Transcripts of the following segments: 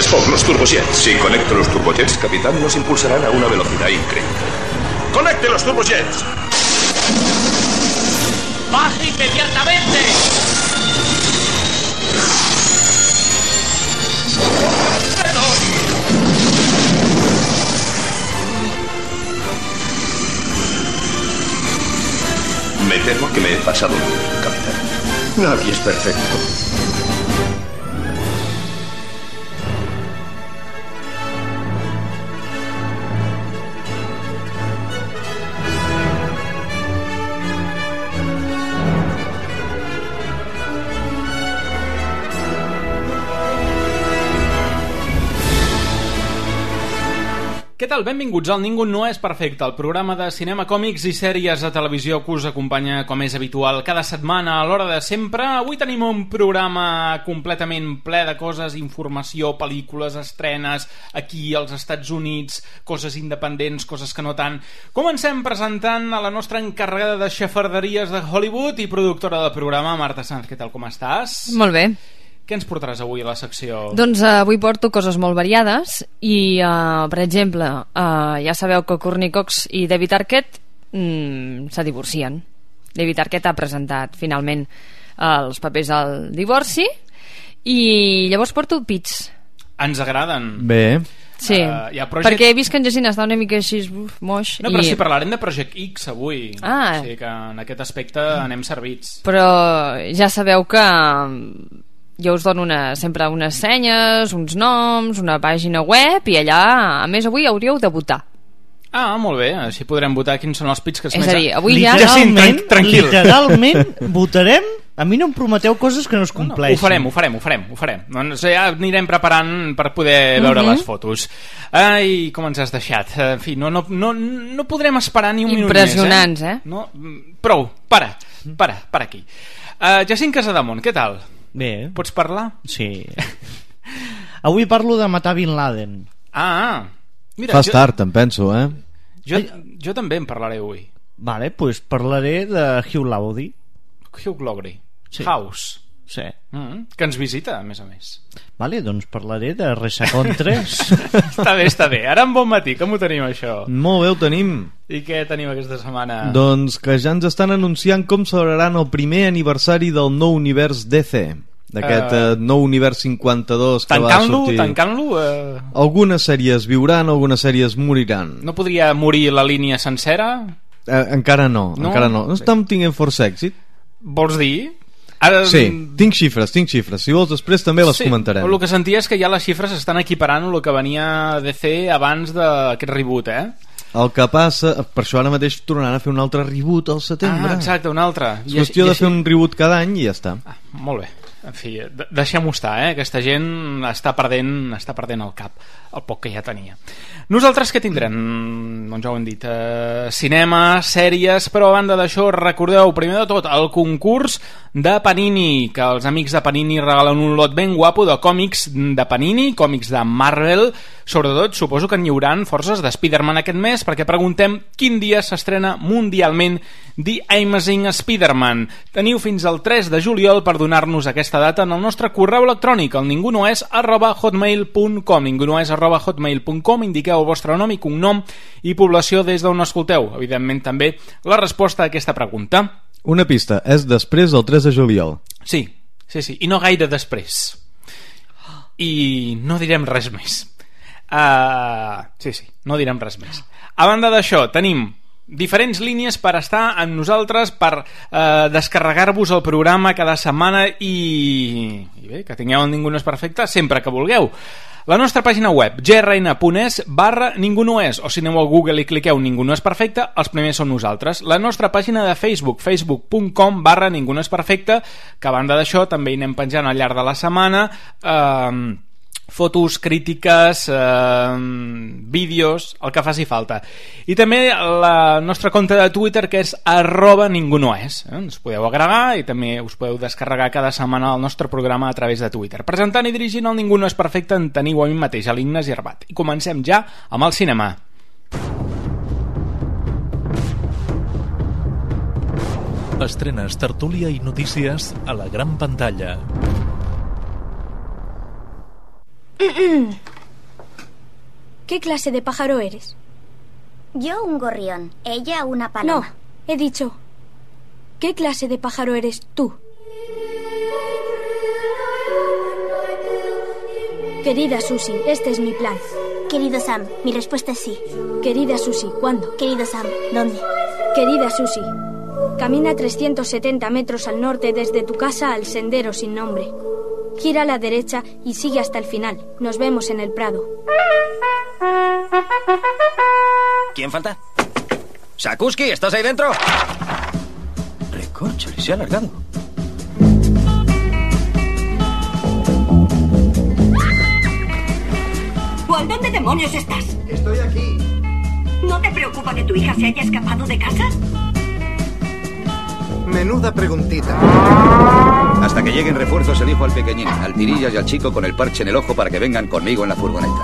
Spock, los turbojets. Si conecto los turbojets, capitán, nos impulsarán a una velocidad increíble. ¡Conecte los turbojets! ¡Baje inmediatamente! Me temo que me he pasado, capitán. Nadie es perfecto. Què tal? Benvinguts al Ningú no és perfecte, el programa de cinema, còmics i sèries de televisió que us acompanya, com és habitual, cada setmana a l'hora de sempre. Avui tenim un programa completament ple de coses, informació, pel·lícules, estrenes, aquí als Estats Units, coses independents, coses que no tant. Comencem presentant a la nostra encarregada de xafarderies de Hollywood i productora del programa, Marta Sanz. Què tal, com estàs? Molt bé. Què ens portaràs avui a la secció? Doncs avui porto coses molt variades i, per exemple, ja sabeu que Courtney Cox i David Arquette se divorcien. David Arquette ha presentat finalment els papers al divorci i llavors porto pits. Ens agraden. Bé. Sí, perquè he vist que en Jacint està una mica així moix. No, però sí, parlarem de Project X avui. O sigui que en aquest aspecte anem servits. Però ja sabeu que jo us dono sempre unes senyes, uns noms, una pàgina web i allà, a més, avui hauríeu de votar. Ah, molt bé, així podrem votar quins són els pits que es més... És a dir, avui literalment votarem. A mi no em prometeu coses que no es compleixin. Ho farem. Doncs ja anirem preparant per poder veure les fotos. Ai, com ens has deixat. En fi, no podrem esperar ni un minut més. Impressionants, No? Prou, para aquí. Jacint Casademont, què tal? Bé. Pots parlar? Sí. Avui parlo de matar Bin Laden. Mira, fas tard, em penso, Jo també en parlaré avui. Vale, doncs parlaré de Hugh Laurie. Hugh Laurie. Sí. House. Sí. Que ens visita, a més a més. Vale, doncs parlaré de Resacon 3. Està bé. Ara en bon matí, com ho tenim, això? Molt bé, ho tenim. I què tenim aquesta setmana? Doncs que ja ens estan anunciant com celebraran el primer aniversari del nou univers DC. D'aquest nou univers 52 que va sortir. Tancant-lo? Algunes sèries viuran, algunes sèries moriran. No podria morir la línia sencera? Encara no. No estem tinguent força èxit. Vols dir? Ara... Sí, tinc xifres. Si vols després també les comentarem. El que sentia és que ja les xifres estan equiparant el que venia DC abans d'aquest reboot, El que passa, per això ara mateix tornaran a fer un altre reboot al setembre. Exacte, un altre. És qüestió de fer un reboot cada any i ja està. Molt bé. En fi, deixem-ho estar, Aquesta gent està perdent el cap, el poc que ja tenia. Nosaltres què tindrem? Doncs ja ho hem dit, cinema, sèries, però a banda d'això recordeu, primer de tot, el concurs de Panini, que els amics de Panini regalen un lot ben guapo de còmics de Panini, còmics de Marvel. Sobretot suposo que n'hi hauran forces de Spider-Man aquest mes, perquè preguntem quin dia s'estrena mundialment The Amazing Spider-Man. Teniu fins al 3 de juliol per donar-nos aquesta data en el nostre correu electrònic, el ningunoes@hotmail.com, ningunoes@hotmail.com. Indiqueu el vostre nom i cognom i població des d'on escolteu. Evidentment també la resposta a aquesta pregunta. Una pista, és després del 3 de juliol. Sí, i no gaire després. I no direm res més. No direm res més. A banda d'això, tenim diferents línies per estar amb nosaltres, per descarregar-vos el programa cada setmana i bé, que tingueu el Ningú no és perfecte sempre que vulgueu. La nostra pàgina web, grn.es/Ningú no és, o si aneu al Google i cliqueu Ningú no és perfecte, els primers són nosaltres. La nostra pàgina de Facebook, facebook.com/Ningú no és perfecte, que a banda d'això també hi anem penjant al llarg de la setmana fotos, crítiques, vídeos, el que faci falta. I també la nostra compte de Twitter, que és @ningunoes. Ens podeu agregar i també us podeu descarregar cada setmana el nostre programa a través de Twitter. Presentant i dirigint el Ningú no és perfecte en teniu a mi mateix, a l'Ignasi Arbat. I comencem ja amb el cinema. Estrenes, tertúlia i notícies a la gran pantalla. ¿Qué clase de pájaro eres? Yo un gorrión, ella una paloma. No, he dicho, ¿qué clase de pájaro eres tú? Querida Susie, este es mi plan. Querido Sam, mi respuesta es sí. Querida Susie, ¿cuándo? Querido Sam, ¿dónde? Querida Susie, camina 370 metros al norte desde tu casa al sendero sin nombre. Gira a la derecha y sigue hasta el final. Nos vemos en el prado. ¿Quién falta? Sakuski, ¿estás ahí dentro? Recórchale, se ha alargado. Juan, ¿dónde demonios estás? Estoy aquí. ¿No te preocupa que tu hija se haya escapado de casa? Menuda preguntita. Hasta que lleguen refuerzos elijo al pequeñín, al tirillas y al chico con el parche en el ojo para que vengan conmigo en la furgoneta.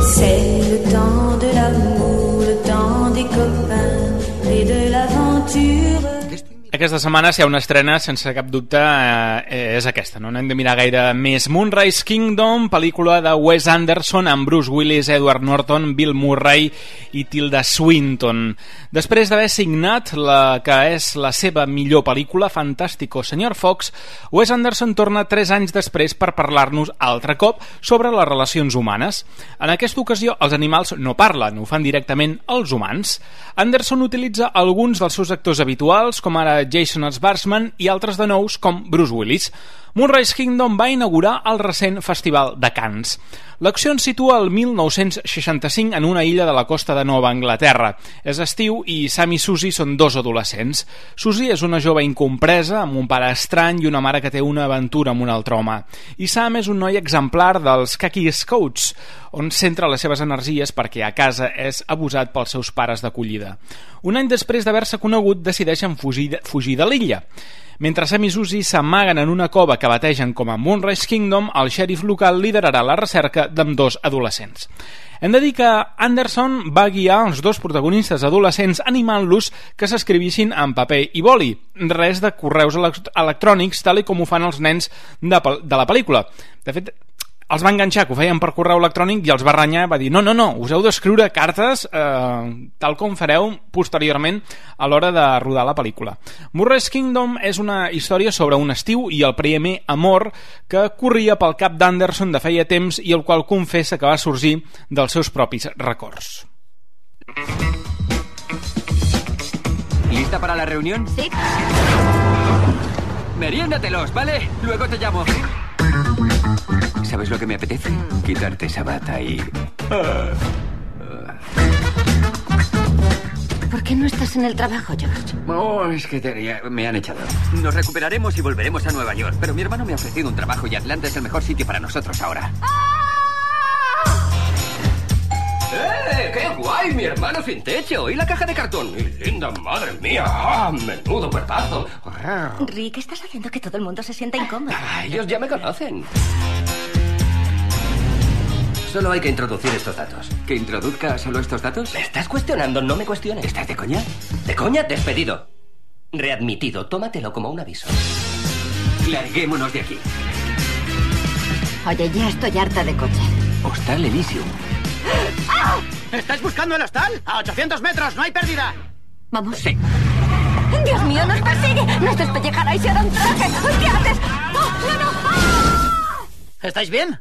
C'est le temps de l'amour, le temps des copains et de l'aventure. Aquesta setmana, si hi ha una estrena, sense cap dubte, és aquesta. No n'hem de mirar gaire més. Moonrise Kingdom, pel·lícula de Wes Anderson amb Bruce Willis, Edward Norton, Bill Murray i Tilda Swinton. Després d'haver signat la que és la seva millor pel·lícula, Fantástico Sr. Fox, Wes Anderson torna 3 anys després per parlar-nos altre cop sobre les relacions humanes. En aquesta ocasió, els animals no parlen, ho fan directament els humans. Anderson utilitza alguns dels seus actors habituals, com ara Jason Schwartzman i altres de nous com Bruce Willis. Moonrise Kingdom va inaugurar el recent Festival de Cannes. L'acció ens situa el 1965 en una illa de la costa de Nova Anglaterra. És estiu i Sam i Susie són 2 adolescents. Susie és una jove incompresa, amb un pare estrany i una mare que té una aventura amb un altre home. I Sam és un noi exemplar dels Khaki Scouts, on centra les seves energies perquè a casa és abusat pels seus pares d'acollida. Un any després d'haver-se conegut, decideixen fugir de l'illa. Mentre Sam i Susie s'amaguen en una cova que bategen com a Moonrise Kingdom, el xèrif local liderarà la recerca d'ambdós adolescents. Hem de dir que Anderson va guiar els 2 protagonistes adolescents animant-los que s'escrivissin en paper i boli. Res de correus electrònics, tal com ho fan els nens de la pel·lícula. De fet, els va enganxar, que ho feien per correu electrònic, i els va renyar, va dir, no, us heu d'escriure cartes tal com fareu posteriorment a l'hora de rodar la pel·lícula. Moonrise Kingdom és una història sobre un estiu i el primer amor que corria pel cap d'Anderson de feia temps i el qual confessa que va sorgir dels seus propis records. ¿Lista para la reunión? Sí. Meriéndatelos, ¿vale? Luego te llamo. ¿Sabes lo que me apetece? Quitarte esa bata y... ¿Por qué no estás en el trabajo, George? Oh, es que me han echado. Nos recuperaremos y volveremos a Nueva York. Pero mi hermano me ha ofrecido un trabajo y Atlanta es el mejor sitio para nosotros ahora. ¡Qué guay! Mi hermano sin techo. Y la caja de cartón. ¡Y linda, madre mía! ¡Ah, menudo cuerpazo! Rick, estás haciendo que todo el mundo se sienta incómodo. Ellos ya me conocen. Solo hay que introducir estos datos. ¿Que introduzca solo estos datos? ¿Me estás cuestionando? No me cuestiones. ¿Estás de coña? ¿De coña? Despedido. Readmitido. Tómatelo como un aviso. Larguémonos de aquí. Oye, ya estoy harta de coche. Hostal Elysium. ¡Ah! ¿Estáis buscando el hostal? A 800 metros, no hay pérdida. Vamos. Sí. ¡Dios mío, nos persigue! ¡Nos despellejará y se hará un traje! ¿Qué haces? ¡Oh, no! ¡Ah! ¿Estáis bien?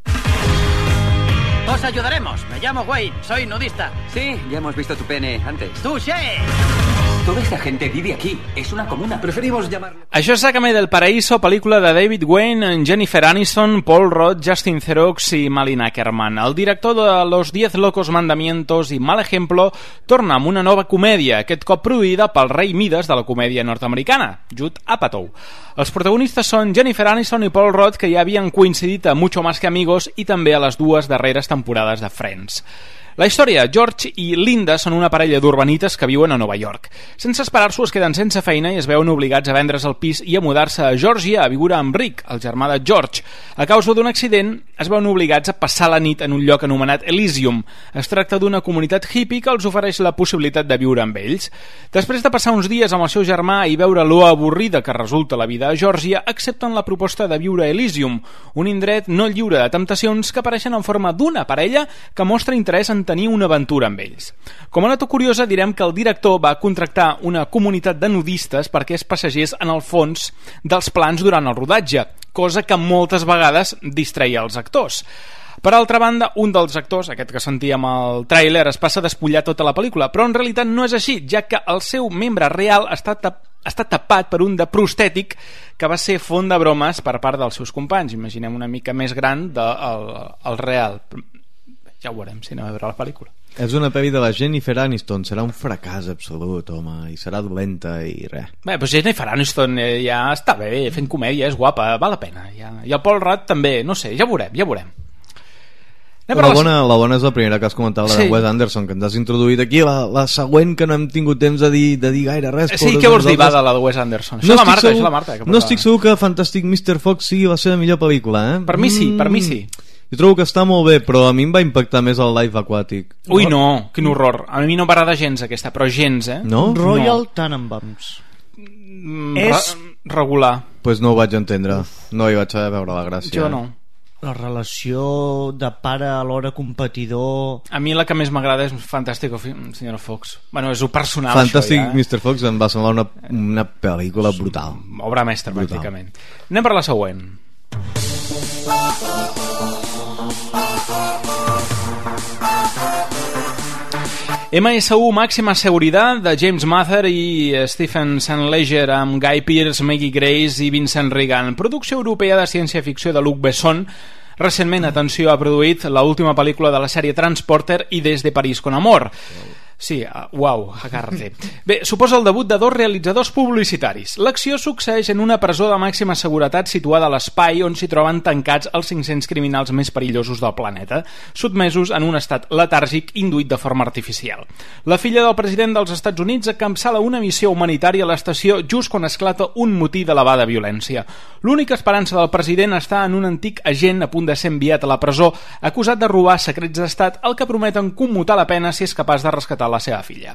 Os ayudaremos. Me llamo Wayne, soy nudista. Sí, ya hemos visto tu pene antes. ¡Touché! Toda esta gente vive aquí. Es una comuna. Preferimos llamarlo... Això és Sácame del Paraíso, pel·lícula de David Wayne, Jennifer Aniston, Paul Rudd, Justin Theroux i Malin Ackerman. El director de Los 10 locos mandamientos i Mal ejemplo torna amb una nova comèdia, aquest cop produïda pel rei Mides de la comèdia nord-americana, Judd Apatow. Els protagonistes són Jennifer Aniston i Paul Rudd, que ja havien coincidit a Mucho más que amigos i també a les 2 darreres temporades de Friends. La història: George i Linda són una parella d'urbanites que viuen a Nova York. Sense esperar-s'ho, es queden sense feina i es veuen obligats a vendre's el pis i a mudar-se a Georgia a viure amb Rick, el germà de George. A causa d'un accident, es veuen obligats a passar la nit en un lloc anomenat Elysium. Es tracta d'una comunitat hippie que els ofereix la possibilitat de viure amb ells. Després de passar uns dies amb el seu germà i veure lo avorrida que resulta la vida a Georgia, accepten la proposta de viure a Elysium, un indret no lliure de temptacions que apareixen en forma d'una parella que mostra interès en tenir una aventura amb ells. Com a nota curiosa, direm que el director va contractar una comunitat de nudistes perquè es passegés en el fons dels plans durant el rodatge, cosa que moltes vegades distreia els actors. Per altra banda, un dels actors, aquest que sentíem al tràiler, es passa a despullar tota la pel·lícula, però en realitat no és així, ja que el seu membre real està tapat per un de prostètic que va ser font de bromes per part dels seus companys. Imaginem una mica més gran del real. Ja ho veurem si anem a veure la pel·lícula. És una pel·li de la Jennifer Aniston, serà un fracàs absolut, home, i serà dolenta i res. Bé, però Jennifer Aniston ja està bé, fent comèdia, és guapa, val la pena. I el Paul Rudd també, no sé, ja ho veurem. La bona és la primera que has comentat, la de Wes Anderson, que ens has introduït aquí, la següent que no hem tingut temps de dir gaire res. Sí, què vols dir, va, de la de Wes Anderson? Això és la Marta. No estic segur que Fantastic Mr. Fox sigui la seva millor pel·lícula, eh? Per mi sí. Jo trobo que està molt bé, però a mi em va impactar més el Life Aquatic. Ui, no, quin horror. A mi no m'agrada gens aquesta, però gens, eh? No? Royal Tenenbaums. És regular. Pues no ho vaig entendre. No hi vaig veure la gràcia. Jo no. La relació de pare alhora competidor... A mi la que més m'agrada és Fantàstic Sr. Fox. Bueno, és personal, Fantàstic això, ja. Mr. Fox em va semblar una pel·lícula brutal. Obra mestra, pràcticament. Anem per la següent. MSU Màxima Seguridad de James Mather i Stephen St. Leger amb Guy Pearce, Maggie Grace i Vincent Regan. Producció europea de ciència-ficció de Luc Besson. Recentment, atenció, ha produït l'última pel·lícula de la sèrie Transporter i Des de París con Amor. Sí, uau, agárrate. Bé, suposa el debut de dos realitzadors publicitaris. L'acció succeeix en una presó de màxima seguretat situada a l'espai on s'hi troben tancats els 500 criminals més perillosos del planeta, sotmesos en un estat letàrgic induït de forma artificial. La filla del president dels Estats Units encapçala una missió humanitària a l'estació just quan esclata un motí d'elevada violència. L'única esperança del president està en un antic agent a punt de ser enviat a la presó, acusat de robar secrets d'estat, el que prometen commutar la pena si és capaç de rescatar la seva filla.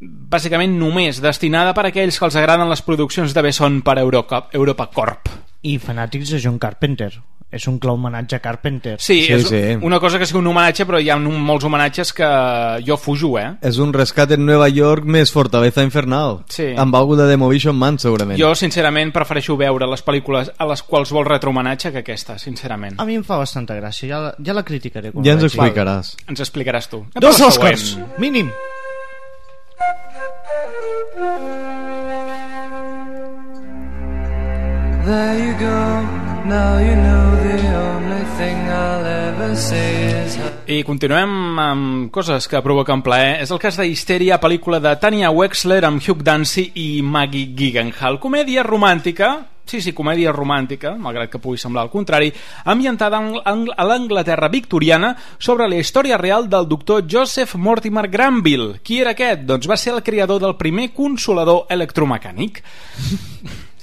Bàsicament només destinada per a aquells que els agraden les produccions de Besson per Europa Corp. I fanàtics de John Carpenter. És un clar homenatge a Carpenter. Sí, és una cosa que sigui un homenatge, però hi ha molts homenatges que jo fujo, És un rescat en Nova York més Fortaleza Infernal. Sí. Amb algú de Demovision Man, segurament. Jo, sincerament, prefereixo veure les pel·lícules a les quals vol retrohomenatge que aquesta, sincerament. A mi em fa bastanta gràcia, ja la criticaré. Ja ens explicaràs. Ens explicaràs tu. 2 Oscars, mínim. There you go. Now you know the only thing I'll ever say is... I continuem amb coses que provoquen plaer. És el cas de Histèria, pel·lícula de Tanya Wexler amb Hugh Dancy i Maggie Gyllenhaal. Comèdia romàntica, comèdia romàntica, malgrat que pugui semblar el contrari, ambientada a l'Anglaterra victoriana sobre la història real del doctor Joseph Mortimer Granville. Qui era aquest? Doncs va ser el creador del primer consolador electromecànic.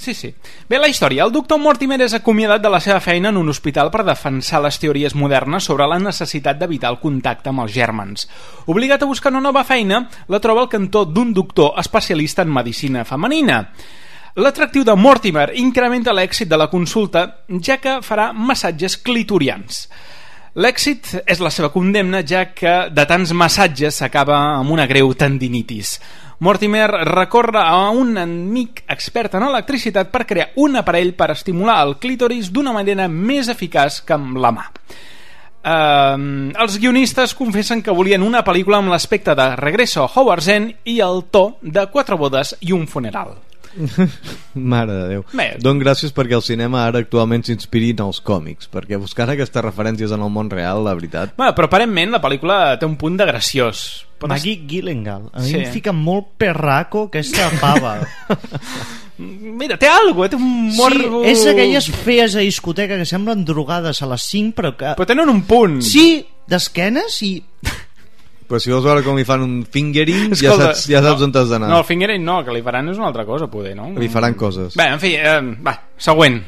Sí. Bé, la història. El doctor Mortimer és acomiadat de la seva feina en un hospital per defensar les teories modernes sobre la necessitat d'evitar el contacte amb els gèrmens. Obligat a buscar una nova feina, la troba al cantó d'un doctor especialista en medicina femenina. L'atractiu de Mortimer incrementa l'èxit de la consulta, ja que farà massatges clitorians. L'èxit és la seva condemna, ja que de tants massatges s'acaba amb una greu tendinitis. Mortimer recorre a un amic expert en electricitat per crear un aparell per estimular el clítoris d'una manera més eficaç que amb la mà. Els guionistes confessen que volien una pel·lícula amb l'aspecte de Regreso a Howard's End i el to de 4 bodes i un funeral. Mare de Déu. Doncs gràcies perquè el cinema ara actualment s'inspiri en els còmics, perquè buscar aquestes referències en el món real, la veritat. Però aparentment la pel·lícula té un punt de graciós. Maggie Gyllenhaal, a mi em fica molt perraco aquesta pava. Mira, té alguna cosa, té un morbo... Sí, és aquelles fees a discoteca que semblen drogades a les 5, però que... Però tenen un punt. Sí, d'esquenes i... Però si vols veure com li fan un fingering, ja saps on t'has d'anar. No, el fingering no, que li faran és una altra cosa, poder, no? Li faran coses. Bé, en fi, va, següent.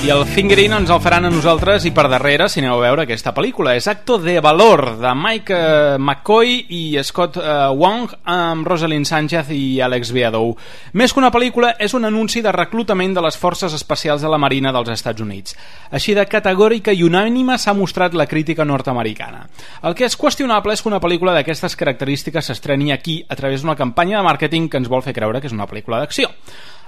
I el fingering ens el faran a nosaltres i per darrere, si aneu a veure aquesta pel·lícula. És Acto de Valor, de Mike McCoy i Scott Wong, amb Rosalind Sánchez i Alex Viadow. Més que una pel·lícula, és un anunci de reclutament de les forces especials de la Marina dels Estats Units. Així de categòrica i unànime s'ha mostrat la crítica nord-americana. El que és qüestionable és que una pel·lícula d'aquestes característiques s'estreni aquí a través d'una campanya de màrqueting que ens vol fer creure que és una pel·lícula d'acció.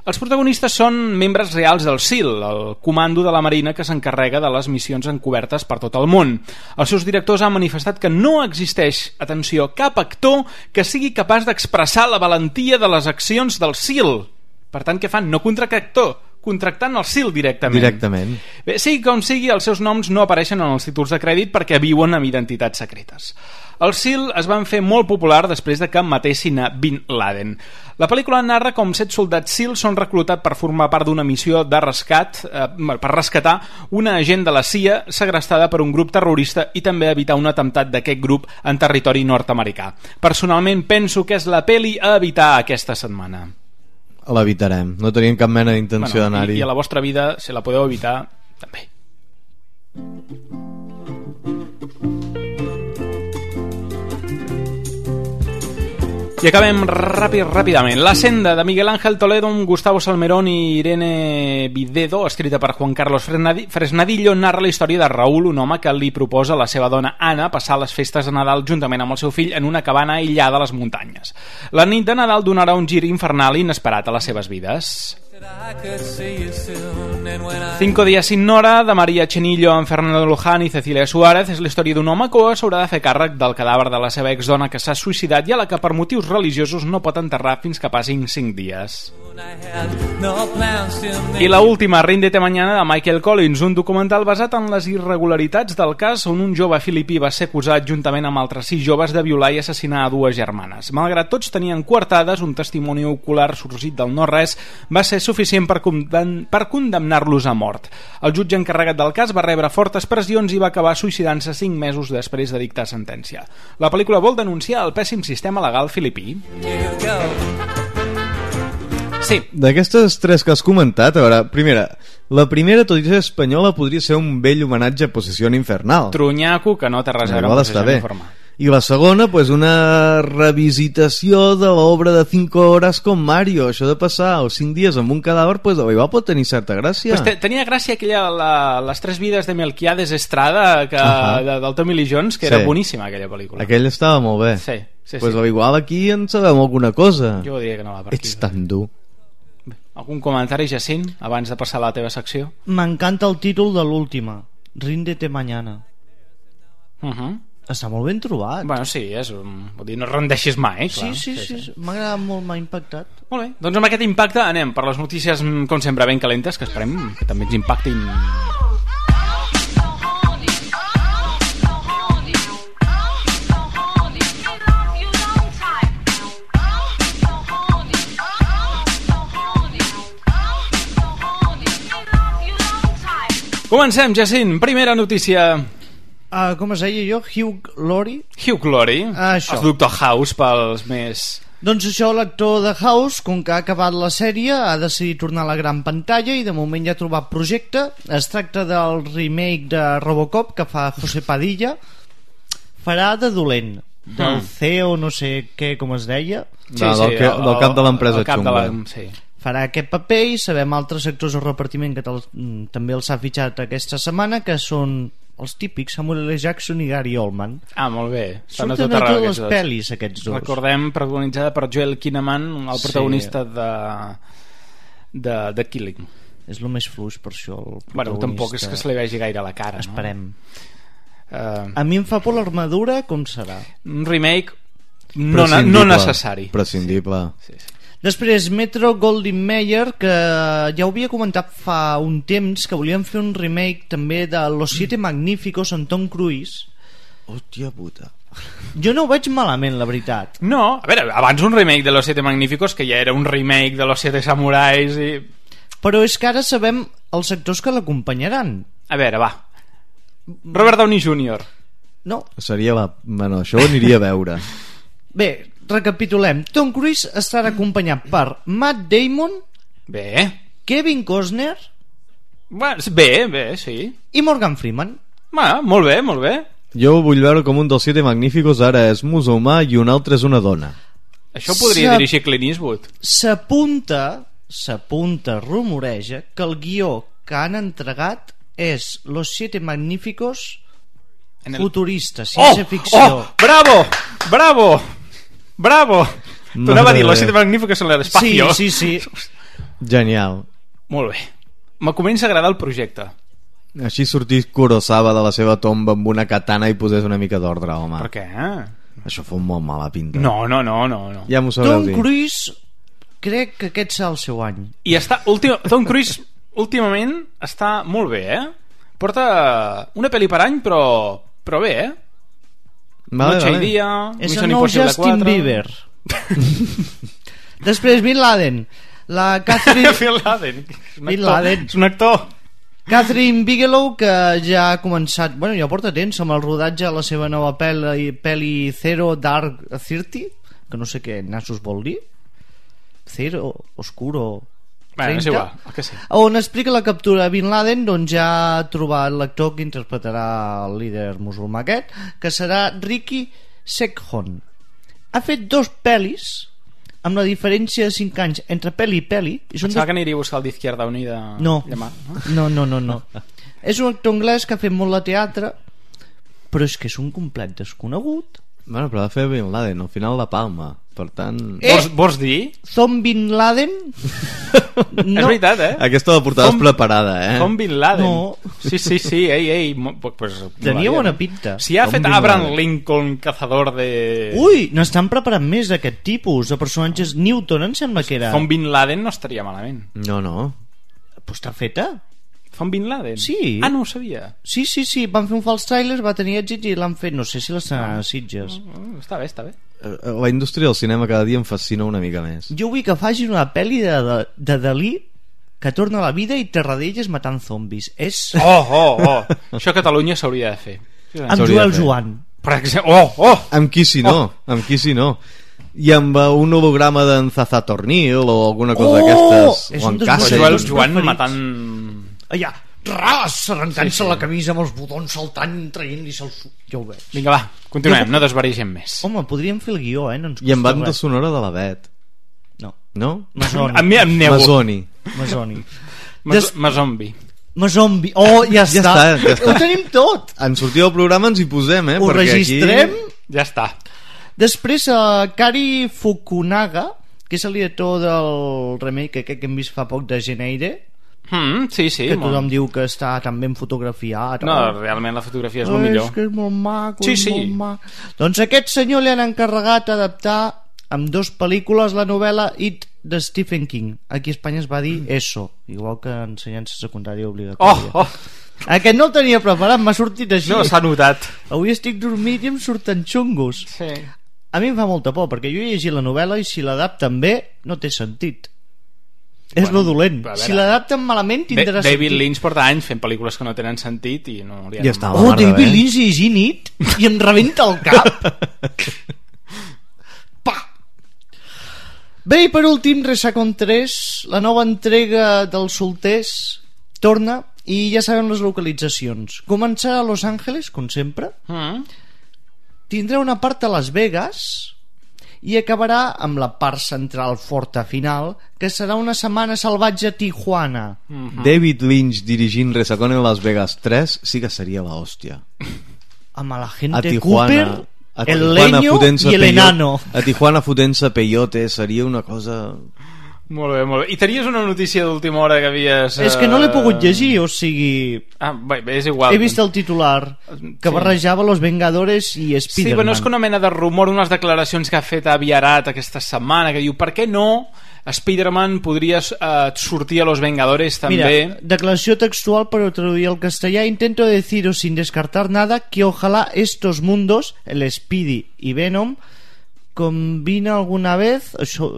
Els protagonistes són membres reals del SEAL, el comando de la Marina que s'encarrega de les missions encobertes per tot el món. Els seus directors han manifestat que no existeix, atenció, cap actor que sigui capaç d'expressar la valentia de les accions del SEAL. Per tant, què fan? No contractar, contractant el SEAL directament. Bé, sigui com sigui, els seus noms no apareixen en els títols de crèdit perquè viuen amb identitats secretes. Els SEAL es van fer molt popular després de que matessin a Bin Laden. La pel·lícula narra com 7 soldats SEAL són reclutats per formar part d'una missió de rescat per rescatar una agent de la CIA segrestada per un grup terrorista i també evitar un atemptat d'aquest grup en territori nord-americà. Personalment penso que és la pel·li a evitar aquesta setmana. L'evitarem, no tenim cap mena d'intenció d'anar-hi. I a la vostra vida, si la podeu evitar, també. I acabem ràpidament. La senda, de Miguel Ángel Toledo, Gustavo Salmerón i Irene Videdo, escrita per Juan Carlos Fresnadillo, narra la història de Raúl, un home que li proposa a la seva dona Anna passar les festes de Nadal juntament amb el seu fill en una cabana aïllada a les muntanyes. La nit de Nadal donarà un gir infernal i inesperat a les seves vides. 5 días sin Nora, de María Chenillo amb Fernando Luján i Cecilia Suárez, és la història d'un home que s'haurà de fer càrrec del cadàver de la seva exdona que s'ha suïcidat i a la que per motius religiosos no pot enterrar fins que passin 5 dies. I la última, Ríndete mañana, de Michael Collins, un documental basat en les irregularitats del cas on un jove filipí va ser acusat juntament amb altres 6 joves de violar i assassinar a 2 germanes. Malgrat tots tenien coartades, un testimoni ocular sorgit del no-res va ser suficient per condemnar-los a mort. El jutge encarregat del cas va rebre fortes pressions i va acabar suïcidant-se 5 mesos després de dictar sentència. La pel·lícula vol denunciar el pèssim sistema legal filipí. Sí. D'aquestes 3 que has comentat, a veure, la primera, tot i ser espanyola, podria ser un vell homenatge a Posición Infernal. Trunyaco, que no té res a veure amb Posición Infernal. I la segona, pues, una revisitació de l'obra de 5 hores com Mario. Això de passar els 5 dies amb un cadàver, pues, igual pot tenir certa gràcia. Pues tenia gràcia aquella, les 3 vides de Melquiades Estrada del Tommy Lee Jones, que era boníssima aquella pel·lícula. Aquella estava molt bé. Sí. Pues igual aquí en sabem alguna cosa. Jo diria que no va per aquí. Ets tan dur. Algun comentari, Jacint, abans de passar a la teva secció? M'encanta el títol de l'última, Ríndete mañana. Està molt ben trobat. Bueno, sí, vull dir, no rendeixis mai, clar. Sí. M'ha agradat molt, m'ha impactat. Molt bé, doncs amb aquest impacte anem per les notícies, com sempre, ben calentes, que esperem que també ens impactin. Comencem, Jacint. Primera notícia. Com es deia jo? Hugh Laurie? Hugh Laurie, el Doctor House pels més... Doncs això, l'actor de House, com que ha acabat la sèrie, ha decidit tornar a la gran pantalla i de moment ja ha trobat projecte. Es tracta del remake de Robocop que fa José Padilla. Farà de dolent, del CEO, no sé què, com es deia. Del cap de l'empresa xunga. Farà aquest paper i sabem altres actors del repartiment que també els ha fitxat aquesta setmana, que són els típics Samuel L. Jackson i Gary Oldman. Molt bé. Surten a totes les pel·lis aquests dos. Recordem, protagonitzada per Joel Kinnaman, el protagonista de Killing. És el més fluix, per això el protagonista. Bueno, tampoc és que se li vegi gaire a la cara. Esperem. A mi em fa por l'armadura, com serà? Un remake no necessari. Prescindible. Sí. Després, Metro Goldwyn Mayer, que ja ho havia comentat fa un temps, que volien fer un remake també de Los Siete Magníficos amb Tom Cruise. Hòstia puta. Jo no ho veig malament, la veritat. No, a veure, abans un remake de Los Siete Magníficos, que ja era un remake de Los Siete Samurais i... Però és que ara sabem els actors que l'acompanyaran. A veure, va. Robert Downey Jr. No. Seria bueno, això ho aniria a veure. Bé, recapitulem. Tom Cruise estarà acompanyat per Matt Damon, Bé. Kevin Costner, Bé, sí. i Morgan Freeman. Molt bé, molt bé. Jo vull veure com un dels 7 magníficos ara és musulmà i un altre és una dona. Això ho podria dirigir Clint Eastwood. S'apunta, rumoreja, que el guió que han entregat és Los 7 Magníficos futurista, ciència ficció. Bravo! T'anava a dir, Los 7 Magníficos en l'espacio. Sí. Genial. Molt bé. Me comença a agradar el projecte. Així sortís Kurosawa de la seva tomba amb una katana i posés una mica d'ordre, home. Per què? Això fot molt mala pinta. No. Ja m'ho sabreu Tom dir. Cruise, crec que aquest serà el seu any. I Tom Cruise últimament està molt bé, Porta una pel·li per any, però bé, Noche i dia, és el nou Justin Bieber. Després Bin Laden. La Catherine... Bin Laden. És un actor. Catherine Bigelow, que ja ha començat, bueno, ja porta temps amb el rodatge de la seva nova pel·li Zero Dark 30, que no sé què nassos vol dir. Zero, Oscuro 30, és igual, que sí. On explica la captura de Bin Laden. Doncs ja ha trobat l'actor que interpretarà el líder musulmà aquest, que serà Ricky Sekhon. Ha fet 2 pel·lis amb la diferència de 5 anys entre pel·li i pel·li. Pensava que aniria a buscar el d'Izquierda Unida. No. És un actor anglès que ha fet molt de teatre, però és que és un complet desconegut. Bueno, però va fer Bin Laden al final la palma, per tant... Vols dir? Tom Bin Laden? No. És veritat, Aquesta la portaves preparada, Tom Bin Laden. No. Sí, ei. Pues, tenia bona pinta. Si ha fet Abraham Lincoln, cazador de... Ui, n'estan preparant més d'aquest tipus de personatges. Newton em sembla que era. Tom Bin Laden no estaria malament. No. Pues està feta. Tom Bin Laden? Sí. No ho sabia. Sí, van fer un fals tràiler, va tenir èxit i l'han fet, no sé si l'estan a Sitges. Està bé. La indústria del cinema cada dia em fascina una mica més. Jo vull que faci una pel·li de Dalí que torna a la vida i Terradellas matant zombis. És... Això a Catalunya s'hauria de fer. Amb Joel Joan. Per exemple, Amb qui si no? I amb un holograma d'en Zaza Tornil o alguna cosa d'aquestes, o en Cáceres. Joel Joan matant... Allà, arrencant-se la camisa amb els botons saltant, traient-li se'ls... Ja ho veig. Vinga, va, continuem, no desvarigem més. Home, podríem fer el guió, no ens I amb banda sonora de la Bet. No? Masoni. Mazombi. Ja està. Ho tenim tot. En sortir del programa ens hi posem, Ho registrem. Ja està. Després, Kari Fukunaga, que és el director del remake que hem vist fa poc de Geneire. Sí, que tothom diu que està tan ben fotografiat. No, realment la fotografia és el millor. És que és molt maco, molt maco. Doncs a aquest senyor li han encarregat adaptar amb 2 pel·lícules la novel·la It de Stephen King. Aquí a Espanya es va dir ESO, igual que ensenyança secundària obligatòria. Aquest no el tenia preparat, m'ha sortit així. No, s'ha notat. Avui estic dormit i em surten xungos. Sí. A mi em fa molta por, perquè jo he llegit la novel·la i si l'adapten bé no té sentit. És lo dolent. Si l'adapten malament tindrà sentit. David Lynch porta anys fent pel·lícules que no tenen sentit i no li ha David Lynch llegint It i em rebenta el cap. Pa! Bé, i per últim, Resacon 3, la nova entrega dels solters torna i ja sabem les localitzacions. Començarà a Los Angeles, com sempre. Tindrà una part a Las Vegas i acabarà amb la part central forta final, que serà una setmana salvatge a Tijuana. David Lynch dirigint Resacón en Las Vegas 3 sí que seria la hòstia. Amb la gente Cooper, el leño i el enano. A Tijuana fotent-se peyote seria una cosa... Molt bé. I tenies una notícia d'última hora que havies... És que no l'he pogut llegir, o sigui... Bé, és igual. He vist el titular, que barrejava Los Vengadores i Spider-Man. Sí, però no és que una mena de rumor, unes declaracions que ha fet Aviarat aquesta setmana, que diu, per què no Spider-Man podria sortir a Los Vengadores també? Mira, declaració textual, però traduir al castellà. Intento deciros sin descartar nada que ojalá estos mundos, el Speedy y Venom, combina alguna vez... Això...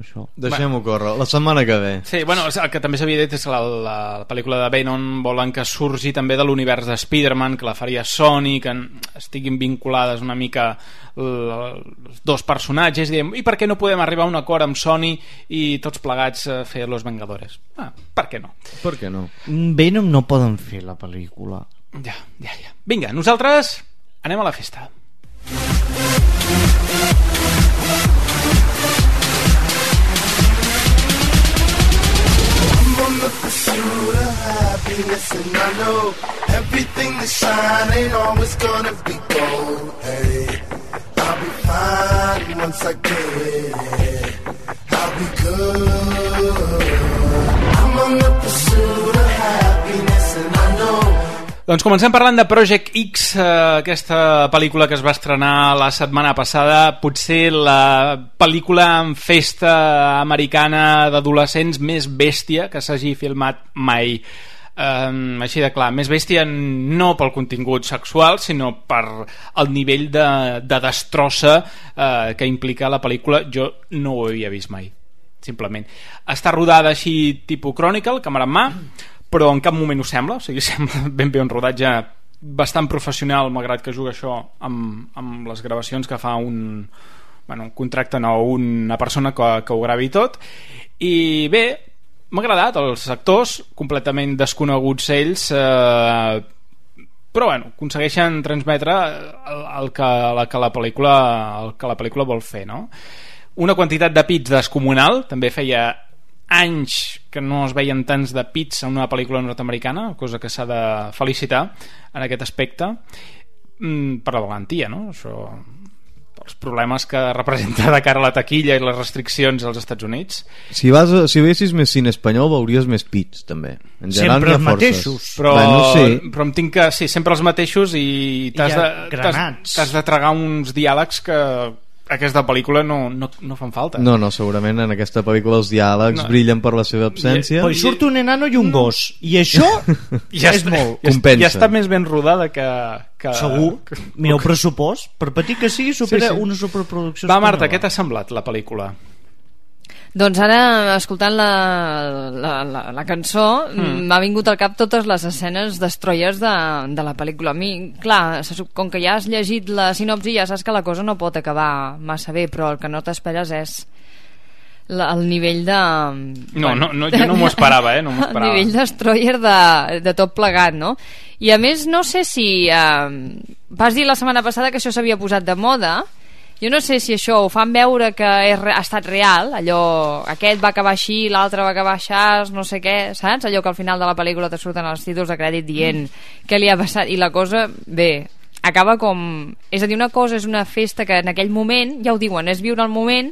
això. Deixem-ho córrer, la setmana que ve. Sí, bueno, el que també s'havia dit és que la pel·lícula de Venom volen que surgi també de l'univers de Spider-Man, que la faria Sony, que estiguin vinculades una mica els dos personatges, i diem, i per què no podem arribar a un acord amb Sony i tots plegats fer Los Vengadores? Per què no? Per què no? Venom no poden fer la pel·lícula. Ja. Vinga, nosaltres anem a la festa. On the pursuit of happiness, and I know everything that shine ain't always gonna be gold. Hey, I'll be fine once I get it. I'll be good. I'm on the pursuit of happiness, and I know. Doncs comencem parlant de Project X, aquesta pel·lícula que es va estrenar la setmana passada, potser la pel·lícula en festa americana d'adolescents més bèstia que s'hagi filmat mai. Així de clar, més bèstia no pel contingut sexual, sinó per el nivell de destrossa que implica la pel·lícula. Jo no ho havia vist mai, simplement. Està rodada així tipus Chronicle, càmera en mà, però en cap moment ho sembla, o sigui, sembla ben bé un rodatge bastant professional, malgrat que juga això amb les gravacions que fa un contracte no, una persona que ho gravi tot. I bé, m'ha agradat, els actors completament desconeguts ells, però bueno, aconsegueixen transmetre el que la pel·lícula vol fer, no? Una quantitat de pits descomunal, també feia anys que no es veien tants de pits en una pel·lícula nord-americana, cosa que s'ha de felicitar en aquest aspecte, per la valentia, no? Això, els problemes que representa de cara a la taquilla i les restriccions als Estats Units. Si veiessis més cine espanyol veuries més pits, també. En general, sempre els mateixos. Però em tinc que... Sí, sempre els mateixos i t'has de tragar uns diàlegs que aquesta pel·lícula no fan falta. No, segurament en aquesta pel·lícula els diàlegs brillen per la seva absència. Però hi surt un enano i un gos, i això és molt. Compensa. Ja està més ben rodada que... Segur. Mireu pressupost, per petit que sigui, supera una superproducció. Va, Marta, què t'ha semblat la pel·lícula? Doncs ara, escoltant la cançó, m'ha vingut al cap totes les escenes destroyers de la pel·lícula. A mi, clar, com que ja has llegit la sinopsi, ja saps que la cosa no pot acabar massa bé, però el que no t'esperes és el nivell de... No, jo no m'ho esperava, no m'ho esperava. El nivell destroyer de tot plegat, no? I a més, no sé si... vas dir la setmana passada que això s'havia posat de moda. Jo no sé si això ho fan veure que ha estat real, allò, aquest va acabar així, l'altre va acabar així, no sé què, saps? Allò que al final de la pel·lícula te surten els títols de crèdit dient què li ha passat, i la cosa, bé, acaba com... És a dir, una cosa és una festa que en aquell moment, ja ho diuen, és viure el moment,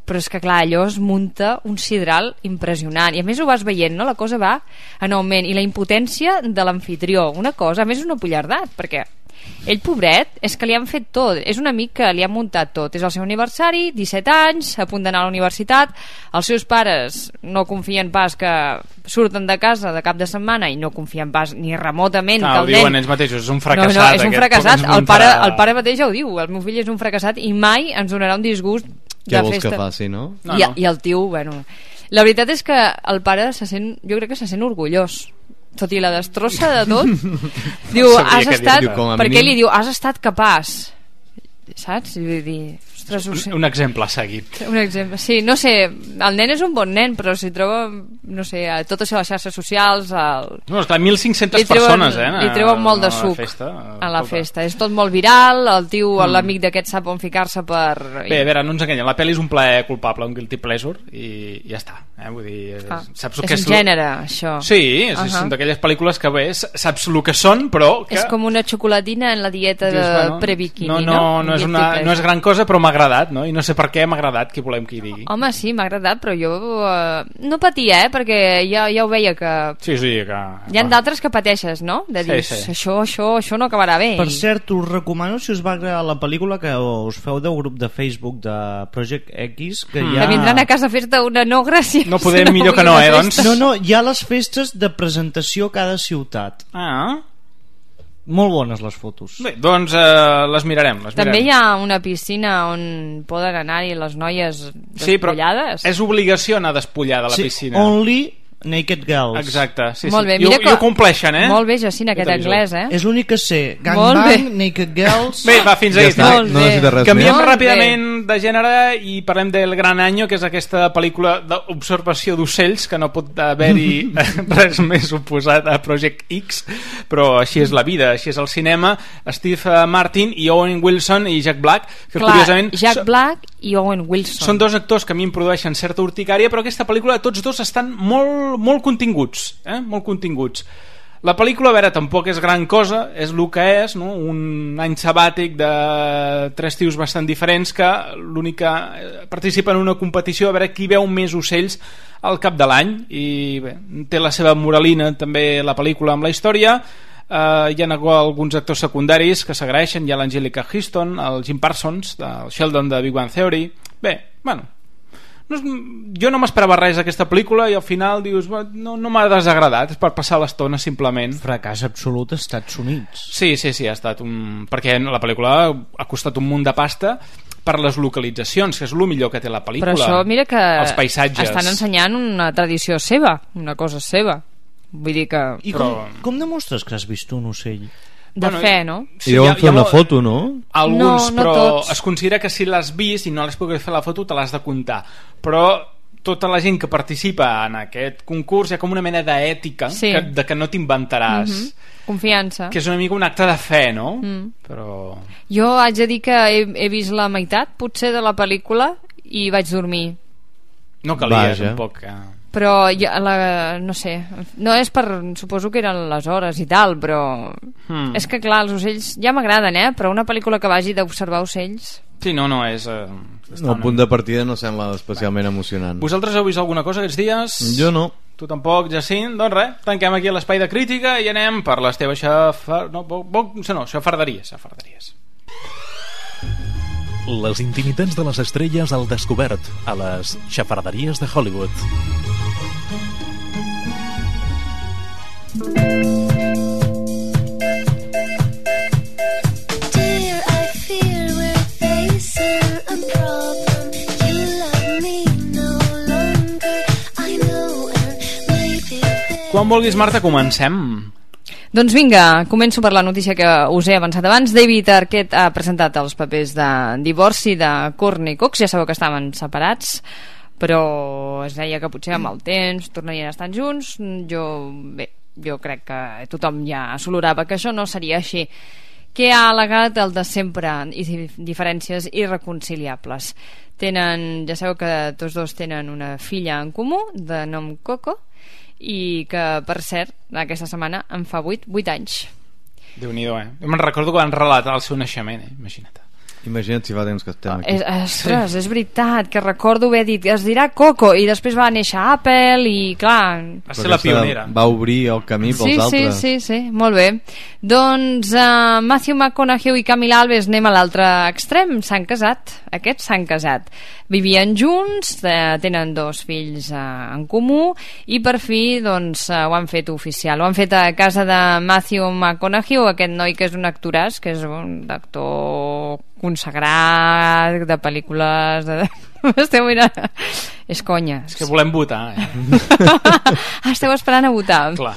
però és que clar, allò es munta un sidral impressionant, i a més ho vas veient, no? La cosa va en augment, i la impotència de l'amfitrió, una cosa, a més una pollardat, perquè ell, pobret, és que li han fet tot, és un amic que li han muntat tot, és el seu aniversari, 17 anys, a punt d'anar a la universitat, els seus pares no confien pas que surten de casa de cap de setmana i no confien pas ni remotament que el nen... Ho diuen ells mateixos, és un fracassat. No, és un fracassat, el pare mateix ja ho diu, el meu fill és un fracassat i mai ens donarà un disgust de què vols festa. que faci, no? I el tio, bueno... La veritat és que el pare jo crec que se sent orgullós, tot i la destrossa de tot. Diu, has estat... Perquè li diu, has estat capaç, saps? I vull dir... Un exemple seguit. Un exemple, sí, no sé, el nen és un bon nen, però si troba, no sé, a totes les xarxes socials... No, esclar, 1.500 persones, li treuen molt de suc a la festa. És tot molt viral, el tio, l'amic d'aquest sap on ficar-se per... Bé, a veure, no ens enganyem, la pel·li és un plaer culpable, un guilty pleasure, i ja està. Vull dir, saps és un gènere, això. Sí, són d'aquelles pel·lícules que bé, saps el que són, però... És com una xocolatina en la dieta de pre-bikini, no? No és gran cosa, però m'ha agradat, no? I no sé per què m'ha agradat, qui volem que hi digui. Home, sí, m'ha agradat, però jo no patia, perquè ja ho veia que... Sí, que... Hi ha d'altres que pateixes, no? De dir, això no acabarà bé. Per cert, us recomano, si us va agradar la pel·lícula, que us feu del grup de Facebook de Project X, que ja... Que vindran a casa a fer-te una no gràcia. No podem millor que no, doncs? No, hi ha les festes de presentació a cada ciutat. Molt bones les fotos. Bé, doncs les mirarem. També hi ha una piscina on poden anar-hi les noies despullades? Sí, però és obligació anar despullada a la piscina. Only Naked Girls. Exacte, sí. Molt bé, I ho compleixen, Molt bé, Jacint, aquest anglès, És l'únic que sé. Gangbang, Naked Girls... Bé, va, fins ahí. Canviem ràpidament de gènere i parlem del Gran Año, que és aquesta pel·lícula d'observació d'ocells, que no pot haver-hi res més oposat a Project X, però així és la vida, així és el cinema. Steve Martin i Owen Wilson i Jack Black, que curiosament... Jack Black i Owen Wilson. Són dos actors que a mi em produeixen certa urticària, però aquesta pel·lícula tots dos estan molt continguts, molt continguts. La pel·lícula, a veure, tampoc és gran cosa, és el que és, no? Un any sabàtic de 3 tios bastant diferents que l'únic que participa en una competició a veure qui veu més ocells al cap de l'any, i bé, té la seva moralina també la pel·lícula amb la història. Hi ha alguns actors secundaris que s'agraeixen, hi ha l'Angelica Houston, el Jim Parsons, el Sheldon de Big Bang Theory. Bé, bueno, jo no m'esperava res d'aquesta pel·lícula i al final dius, no m'ha desagradat, és per passar l'estona simplement. Fracàs absolut als Estats Units. Sí, ha estat perquè la pel·lícula ha costat un munt de pasta per les localitzacions, que és el millor que té la pel·lícula. Però això, mira que els paisatges. Estan ensenyant una tradició seva, una cosa seva. Vull dir que... I com demostres que has vist un ocell? Fe, no? I deuen fer una foto, no? Alguns, no però tots. Es considera que si l'has vist i no l'has pogut fer la foto te l'has de comptar, però tota la gent que participa en aquest concurs hi ha com una mena d'ètica de que no t'inventaràs. Confiança. Que és una mica un acte de fe, no? Però... Jo haig de dir que he vist la meitat potser de la pel·lícula i vaig dormir. No calia tampoc però no sé, no és per, suposo que eren les hores i tal, però és que clar, els ocells ja m'agraden, però una pel·lícula que vagi d'observar ocells sí, no és el punt de partida no sembla especialment emocionant. Vosaltres heu vist alguna cosa aquests dies? Jo no. Tu tampoc, Jacint? Doncs res, tanquem aquí l'espai de crítica i anem per les teves xafarderies. Les intimitats de les estrelles al descobert a les xafarderies de Hollywood. Quan vulguis, Marta, comencem. Doncs vinga, començo per la notícia que us he avançat abans. David Arquette ha presentat els papers de divorci de Courtney Cox. Ja sabeu que estaven separats, però es deia que potser amb el temps tornarien a estar junts. Jo crec que tothom ja solorava que això no seria així. Què ha al·legat el de sempre i diferències irreconciliables? Ja sabeu que tots dos tenen una filla en comú de nom Coco i que, per cert, aquesta setmana en fa 8 anys. Déu-n'hi-do, Jo me'n recordo que van relatar el seu naixement, imagina't. Imagina't si fa temps que estem aquí. Ostres, és veritat, que recordo haver dit es dirà Coco, i després va néixer Apple i clar... Va ser la pionera. Va obrir el camí pels altres. Sí, molt bé. Doncs Matthew McConaughey i Camila Alves, anem a l'altre extrem, s'han casat. Aquests s'han casat. Vivien junts, tenen 2 fills en comú i per fi doncs ho han fet oficial. Ho han fet a casa de Matthew McConaughey, aquest noi que és un actoràs, que és un actor consagrat de pel·lícules esteu mirant, és conya, és que volem votar esteu esperant a votar. Clar.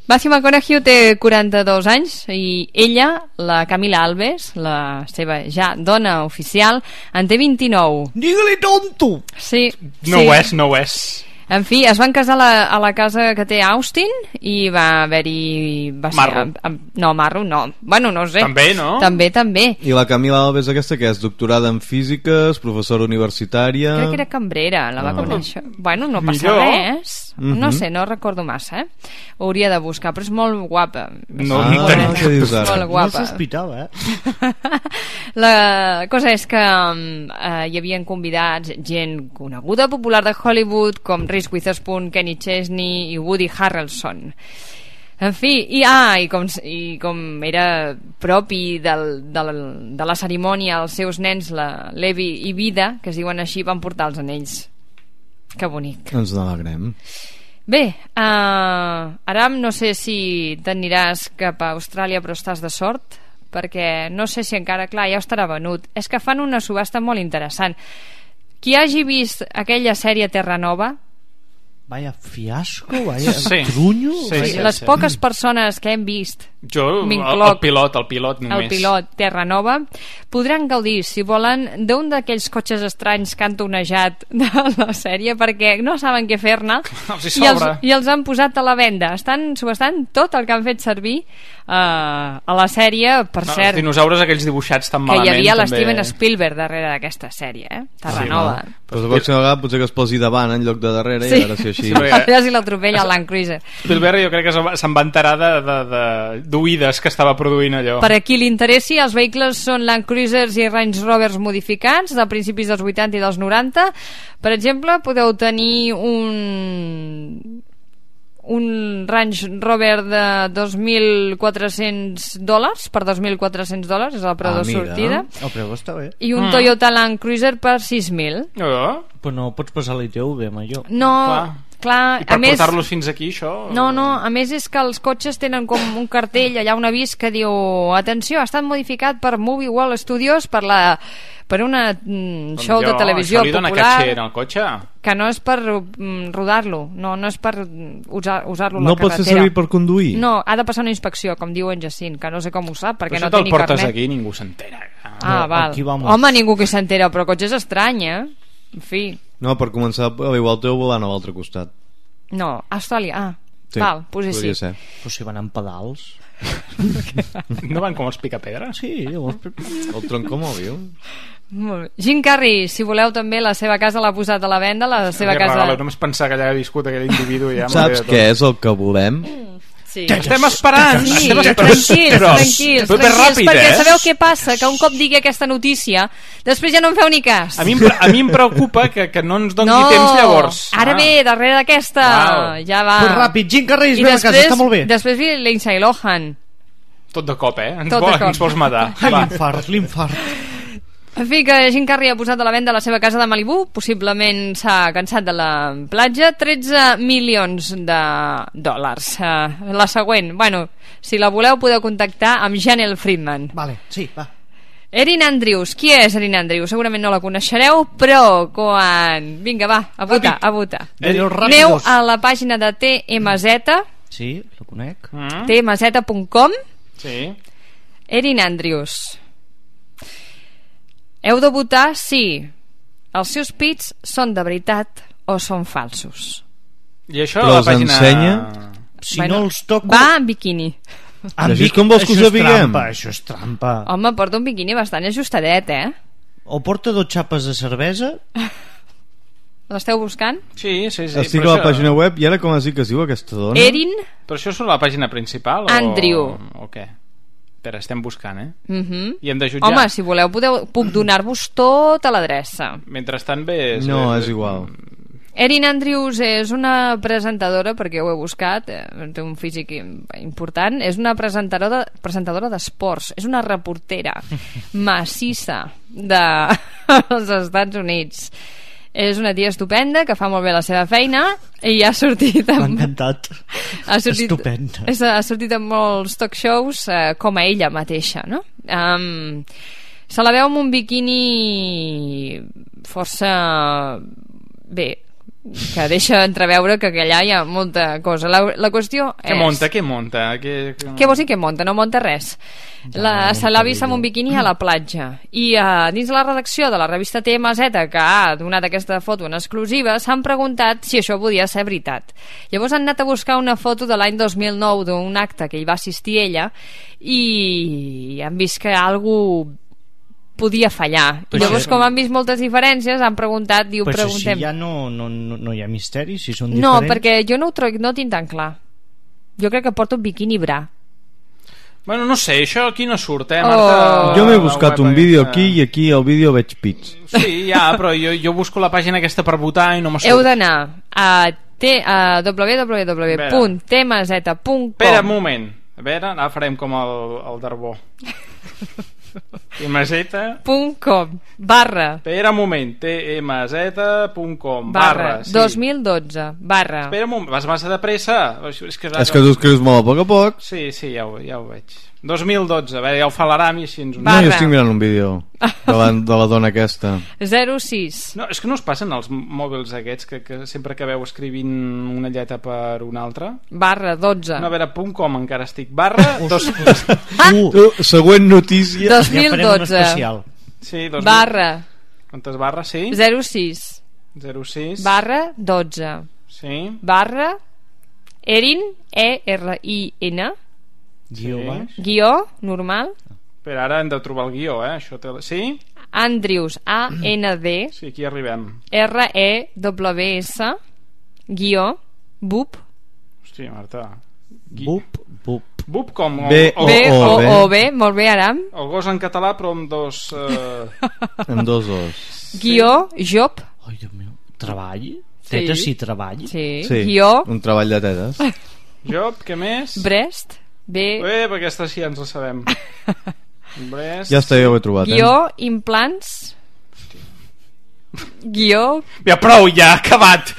Matthew McConaughey té 42 anys i ella, la Camila Alves, la seva ja dona oficial, en té 29. Digue-li tonto! Sí. No ho és. En fi, es van casar a la casa que té Austin i va haver-hi... Marro. Marro no. Bueno, no sé. També, no? També. I la Camila Alves aquesta, que és doctorada en físiques, professora universitària... Crec que era cambrera, la va conèixer. Bueno, no passa res. No sé, no recordo massa, Hauria de buscar, però és molt guapa. Què dius ara? Molt guapa. No sospitava, La cosa és que hi havien convidats gent coneguda, popular de Hollywood, com Reese Witherspoon, Kenny Chesney i Woody Harrelson. En fi, i com era propi de la cerimònia, els seus nens, la Levi i Vida, que es diuen així, van portar els anells. Que bonic. Ens n'alegrem. Bé, Aram, no sé si t'aniràs cap a Austràlia, però estàs de sort, perquè no sé si encara, clar, ja estarà venut. És que fan una subhasta molt interessant. Qui hagi vist aquella sèrie Terra Nova... Vaya fiasco, vaya trunyo. Les poques persones que hem vist, jo, el pilot només. El pilot Terra Nova, podran gaudir, si volen, d'un d'aquells cotxes estranys que han tonejat de la sèrie, perquè no saben què fer-ne i els han posat a la venda. Estan subhastant tot el que han fet servir a la sèrie, per cert. Els dinosaures aquells dibuixats tan malament. Que hi havia l'Steven Spielberg darrere d'aquesta sèrie, Terra Nova. Però la pròxima vegada potser que es posi davant en lloc de darrere, i ara sí així. A veure si l'atropella el Land Cruiser. Spielberg jo crec que se'n va enterar d'oïdes que estava produint allò. Per a qui li interessi, els vehicles són Land Cruisers i Range Rovers modificats de principis dels 80 i dels 90. Per exemple, podeu tenir un Range Rover de $2.400 per $2.400, és el preu de sortida. El preu està bé. I un Toyota Land Cruiser per $6.000. Però no pots passar l'ITV amb allò. No, clar, i per portar-los fins aquí, això? No, a més és que els cotxes tenen com un cartell, allà un avís que diu: atenció, ha estat modificat per Movie World Studios per una show de televisió popular. Això li dona catxer al cotxe? Que no és per rodar-lo, no és per usar-lo a la carretera. No pot ser servir per conduir? No, ha de passar una inspecció, com diu en Jacint, que no sé com ho sap, perquè no té ni carnet. Però això te'l portes aquí i ningú s'entera. Val. Home, ningú que s'entera, però cotxe és estrany, En fi. No, per començar, igual teu volant a l'altre costat. No, Austràlia, sí, val, pues sí. Però si van amb pedals. No van com els picapedres? Sí, el troncomòbil. Jim Carrey, si voleu també, la seva casa l'ha posat a la venda, la seva casa... Només pensar que allà ha viscut aquell individu ja... Saps què és el que volem? Sí. Estem esperant! Sí, tranquils, perquè sabeu què passa? Que un cop digui aquesta notícia, després ja no en feu ni cas. A mi em preocupa que no ens doni temps llavors. Ara ve, darrere d'aquesta, ja va. Pues ràpid, Jim Carrey, ve a casa, està molt bé. Després ve Lindsay Lohan. Tot de cop, ens vols matar. L'infart. En fi, que Jim Carrey ha posat a la venda la seva casa de Malibu, possiblement s'ha cansat de la platja, $13 milions. La següent, bueno, si la voleu podeu contactar amb Janelle Friedman. Vale, sí, va. Erin Andrews, qui és Erin Andrews? Segurament no la coneixereu, però quan... Vinga, va, a votar. Aneu a la pàgina de TMZ. Sí, la conec. TMZ.com. Sí. Erin Andrews. Heu de votar si els seus pits són de veritat o són falsos. I això a la pàgina... ensenya? Si no els toco... Va en biquini. Com vols que ho sapiguem? Això és trampa. Home, porta un biquini bastant ajustadet, O porta 2 xapes de cervesa. L'esteu buscant? Sí. Estic a la pàgina web i ara com es diu que es diu aquesta dona? Erin... Però això és la pàgina principal? Andrew. O què? Espera, estem buscant, I hem de jutjar. Home, si voleu puc donar-vos tota l'adreça. Mentrestant bé... No, és igual. Erin Andrews és una presentadora, perquè ho he buscat, té un físic important, és una presentadora d'esports, és una reportera massissa dels Estats Units. És una tia estupenda que fa molt bé la seva feina i ha sortit m'ha encantat. Estupenda. Ha sortit en molts talk shows com a ella mateixa, no? Se la veu amb un biquini força bé, que deixa entreveure que allà hi ha molta cosa. La qüestió és... Què monta? Què vols dir que monta? No monta res. Se l'ha vist amb un biquini a la platja. I dins de la redacció de la revista TMZ, que ha donat aquesta foto en exclusiva, s'han preguntat si això podia ser veritat. Llavors han anat a buscar una foto de l'any 2009 d'un acte que hi va assistir ella i han vist que algú podia fallar. Llavors, com han vist moltes diferències, han preguntat, preguntem... Si ja no hi ha misteri, si són diferents... No, perquè jo no tinc tan clar. Jo crec que porta un biquini bra. Bueno, no sé, això aquí no surt, Marta? Jo m'he buscat un vídeo aquí i aquí al vídeo veig pits. Sí, però jo busco la pàgina aquesta per votar i no m'ha surt. Heu d'anar a www.tmz.com. Espera un moment. A veure, ara farem com el Darbó. tmz.com barra espera un moment, tmz.com barra 2012 barra espera un moment, vas massa de pressa. És que tu escrius molt a poc. Sí, ja ho veig. 2012, ja ho fa l'Aram i així ens ho... No, jo estic mirant un vídeo de la dona aquesta. 06. No, és que no us passen els mòbils aquests que sempre que veu escrivint una lletra per una altra? Barra 12. No, a veure, .com encara estic. Barra... Següent notícia. 2012. Sí, barra. Quantes barres, sí? 06. Barra 12. Sí. Barra Erin, E-R-I-N. Guió, normal. Però ara hem de trobar el guió, això sí? Andrews, A-N-D. Sí, aquí arribem. R-E-W-S guió, BUP. Hòstia, Marta. BUP com? B-O-O-B, molt bé, Aram. El gos en català, però amb dos... amb dos os. Guió, job. Ai, Déu meu. Treball? Tetes i treball? Sí. Guió. Un treball de tetes. Job, què més? Breast. Perquè aquesta sí ens la sabem. Breast. Ja està, ja ho he trobat. Guió, implants. Guió. Ja prou, ja, acabat.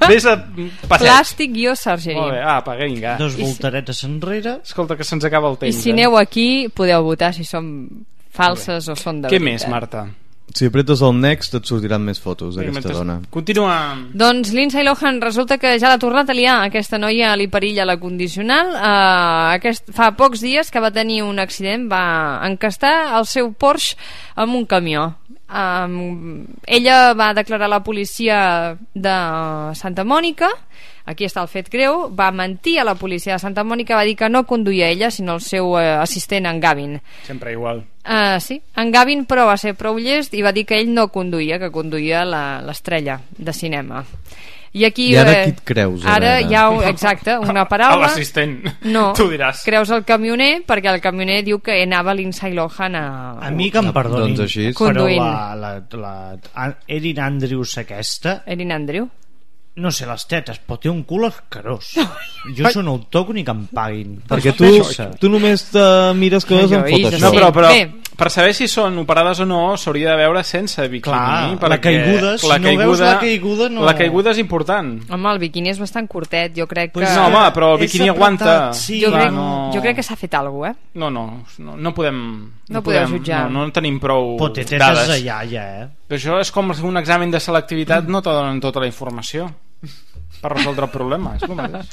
Ves a passeig. Plàstic, guió, surgery. Molt bé, vinga. Dos voltaretes enrere. Escolta, que se'ns acaba el temps. I si aneu aquí, podeu votar si són falses o són de veritat. Què més, Marta? Si apretes el next et sortiran més fotos d'aquesta dona. Continua. Doncs Lindsay Lohan resulta que ja l'ha tornat a liar. Aquesta noia li perilla la condicional. Fa pocs dies que va tenir un accident, va encastar el seu Porsche amb un camió. Ella va declarar a la policia de Santa Mònica. Aquí està el fet greu. Va mentir a la policia de Santa Mònica, va dir que no conduïa ella sinó el seu assistent, en Gavin. Sempre igual. Sí, en Gavin, però va ser prou llest i va dir que ell no conduïa, que conduïa l'estrella de cinema. I aquí, i ara qui et creus? Ara hi ha, exacte, una paraula. L'assistent, no, tu diràs. Creus el camioner, perquè el camioner diu que anava Lindsay Lohan a mi que em perdonin, doncs així. Conduint. Però la Erin Andrews aquesta... Erin Andrews? No sé les tetes, però té un cul asquerós. Jo això no ho toco ni que em paguin. Perquè tu només te mires coses en Photoshop. No, però per saber si són operades o no s'hauria de veure sense biquini. Clar, la caiguda, si no veus la caiguda no... La caiguda és important. Home, el biquini és bastant curtet, jo crec que... No, home, però el biquini aguanta. Jo crec que s'ha fet alguna cosa, No podem... No podeu jutjar. No tenim prou dades. De iaia, Però això és com un examen de selectivitat, no te donen tota la informació per resoldre el problema, és el mateix.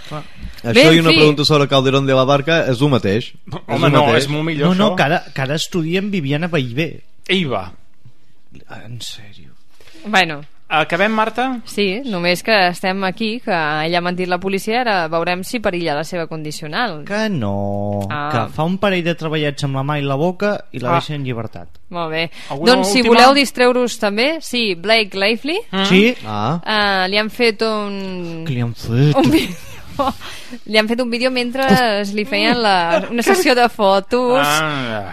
Això i una pregunta sobre Calderón de la Barca és el mateix. Home, no, és molt millor això. No, que ara estudiem Viviana Ballbé. Eiva. En sèrio. Bueno, acabem, Marta? Sí, només que estem aquí, que ella ha mentit la policia, ara veurem si perilla la seva condicional. Que no, que fa un parell de treballets amb la mà i la boca i la deixa en llibertat. Molt bé. Doncs si voleu distreure-us també, sí, Blake Lively. Sí. Li han fet un... Què li han fet? Li han fet un vídeo mentre li feien una sessió de fotos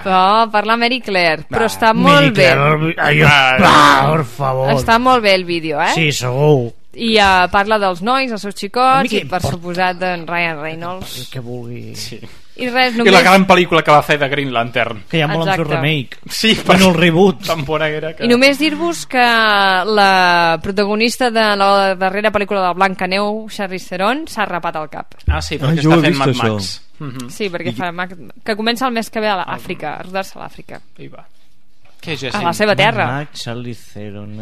per la Mary Claire, però està molt bé. Per favor. Està molt bé el vídeo, Sí, segur. I parla dels nois, els seus xicots, i per suposat d'en Ryan Reynolds. El que vulgui. Sí. I res, només... I la gran pel·lícula que va fer de Green Lantern. Que ja volen fer remake. Sí, bueno, el reboot. Tan bona era que... I només dir-vos que la protagonista de la darrera pel·lícula de Blancaneu, Charlize Theron, s'ha rapat al cap. Sí, perquè està fent Mad Max. Sí, perquè fa que comença el mes que ve a l'Àfrica, a rodar-se a l'Àfrica. A la seva terra. Mad Max, Charlize Theron,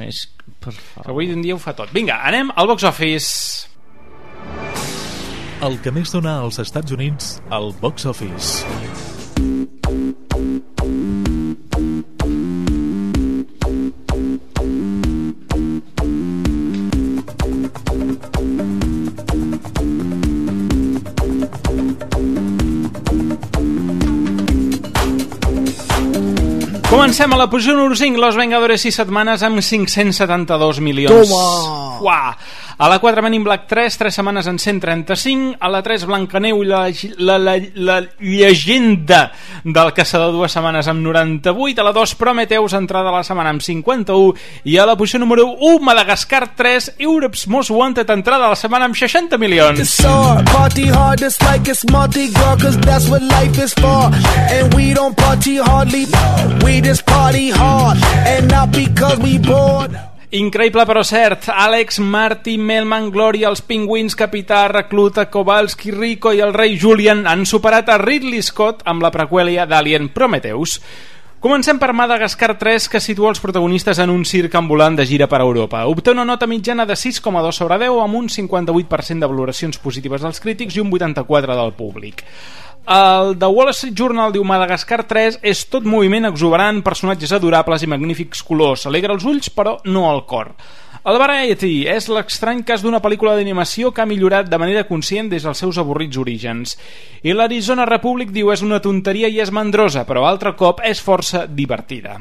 per favor. Avui en dia ho fa tot. Vinga, anem al box office. El que més dona als Estats Units al box office. Comencem a la posició número 5, Los Vengadores 6 setmanes amb 572 milions. Toma! Uah. A la 4, Men in Black 3 setmanes en 135. A la 3, Blancaneu i la llegenda del caçador, 2 setmanes amb 98. A la 2, Prometheus, entrada a la setmana amb 51. I a la posició número 1, Madagascar 3, Europe's Most Wanted, entrada a la setmana amb 60 milions. Party hard just like it's Mardi Gras, cause that's what life is for. And we don't party hardly, we just party hard, and not because we bored. Increïble però cert, Alex, Marty, Melman, Gloria, els Pingüins, Capità, Recluta, Kowalski, Rico i el rei Julian han superat a Ridley Scott amb la preqüèlia d'Alien Prometheus. Comencem per Madagascar 3, que situa els protagonistes en un circ ambulant de gira per Europa. Obté una nota mitjana de 6,2 sobre 10 amb un 58% de valoracions positives dels crítics i un 84% del públic. El The Wall Street Journal diu: Madagascar 3 és tot moviment exuberant, personatges adorables i magnífics colors. Alegra els ulls, però no el cor. El Variety és l'estrany cas d'una pel·lícula d'animació que ha millorat de manera conscient des dels seus avorrits orígens. I l'Arizona Republic diu: és una tonteria i és mandrosa, però altre cop és força divertida.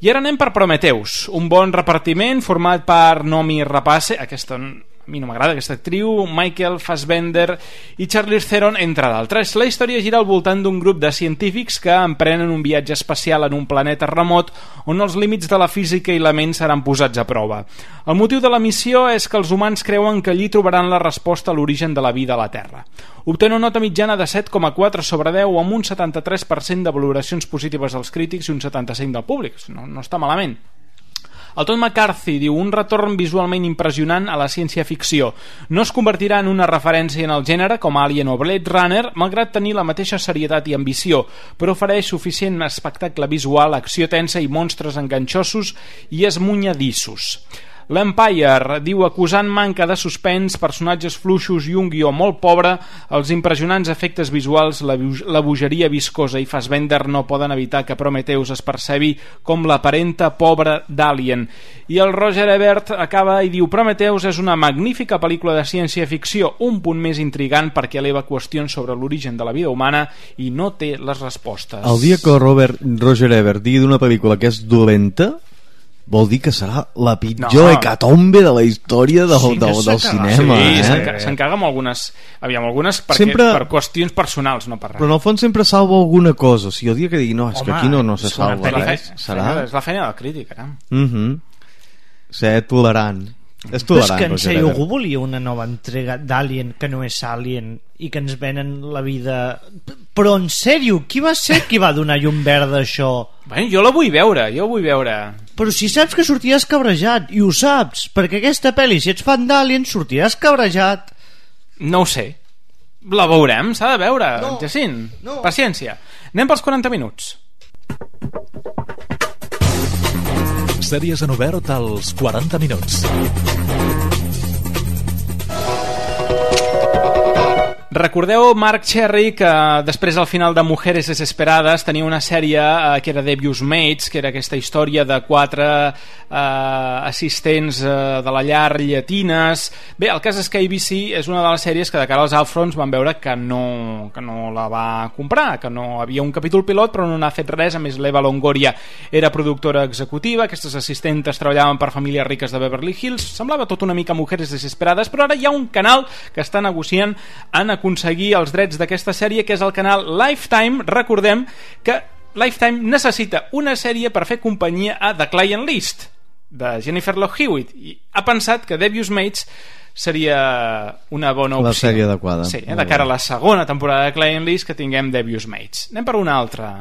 I ara anem per Prometheus, un bon repartiment format per Noomi Rapace, aquesta a mi no m'agrada aquesta actriu, Michael Fassbender i Charlize Theron, entre d'altres. La història gira al voltant d'un grup de científics que emprenen un viatge espacial en un planeta remot on els límits de la física i la ment seran posats a prova. El motiu de la missió és que els humans creuen que allí trobaran la resposta a l'origen de la vida a la Terra. Obté una nota mitjana de 7,4 sobre 10 amb un 73% de valoracions positives dels crítics i un 75% del públic. No està malament. El Todd McCarthy diu: un retorn visualment impressionant a la ciència-ficció. No es convertirà en una referència en el gènere com Alien o Blade Runner, malgrat tenir la mateixa serietat i ambició, però ofereix suficient espectacle visual, acció tensa i monstres enganxosos i esmunyadissos. L'Empire diu: acusant manca de suspens, personatges fluixos i un guió molt pobre, els impressionants efectes visuals, la bogeria viscosa i Fassbender no poden evitar que Prometheus es percebi com la parenta pobra d'Alien. I el Roger Ebert acaba i diu: Prometheus és una magnífica pel·lícula de ciència-ficció, un punt més intrigant perquè eleva qüestions sobre l'origen de la vida humana i no té les respostes. El dia que Roger Ebert digui d'una pel·lícula que és dolenta, vol dir que serà la pitjor hecatombe de la història del cinema. Sí, s'encaga amb algunes per qüestions personals, no per res. Però en el fons sempre salva alguna cosa. Si el dia que digui, no, és que aquí no se salva res, serà... És la feina del crític, ara. Ser tolerant. És tolerant. Però és que en sèrio, algú volia una nova entrega d'Alien que no és Alien i que ens venen la vida... Però en sèrio, qui va ser qui va donar llum verda a això? Bueno, jo la vull veure, Però si saps que sortiràs cabrejat, i ho saps, perquè aquesta pel·li, si ets fan d'Alien, sortiràs cabrejat. No ho sé. La veurem, s'ha de veure, Jacint. Paciència. Anem pels 40 minuts. Sèries en obert als 40 minuts. Recordeu Mark Cherry, que després al final de Mujeres Desesperadas tenia una sèrie que era Devious Maids, que era aquesta història de 4 assistents de la llar llatines. Bé, el cas és que ABC és una de les sèries que de cara als Outfronts van veure que no la va comprar, que no havia un capítol pilot però no n'ha fet res. A més, l'Eva Longoria era productora executiva, aquestes assistentes treballaven per famílies riques de Beverly Hills, semblava tot una mica Mujeres Desesperades, però ara hi ha un canal que està negociant en aconseguir els drets d'aquesta sèrie, que és el canal Lifetime. Recordem que Lifetime necessita una sèrie per fer companyia a The Client List de Jennifer Love Hewitt i ha pensat que Devious Maids seria una bona opció. La sèrie adequada. Sí, de cara a la segona temporada de Client List que tinguem Devious Maids. Anem per una altra.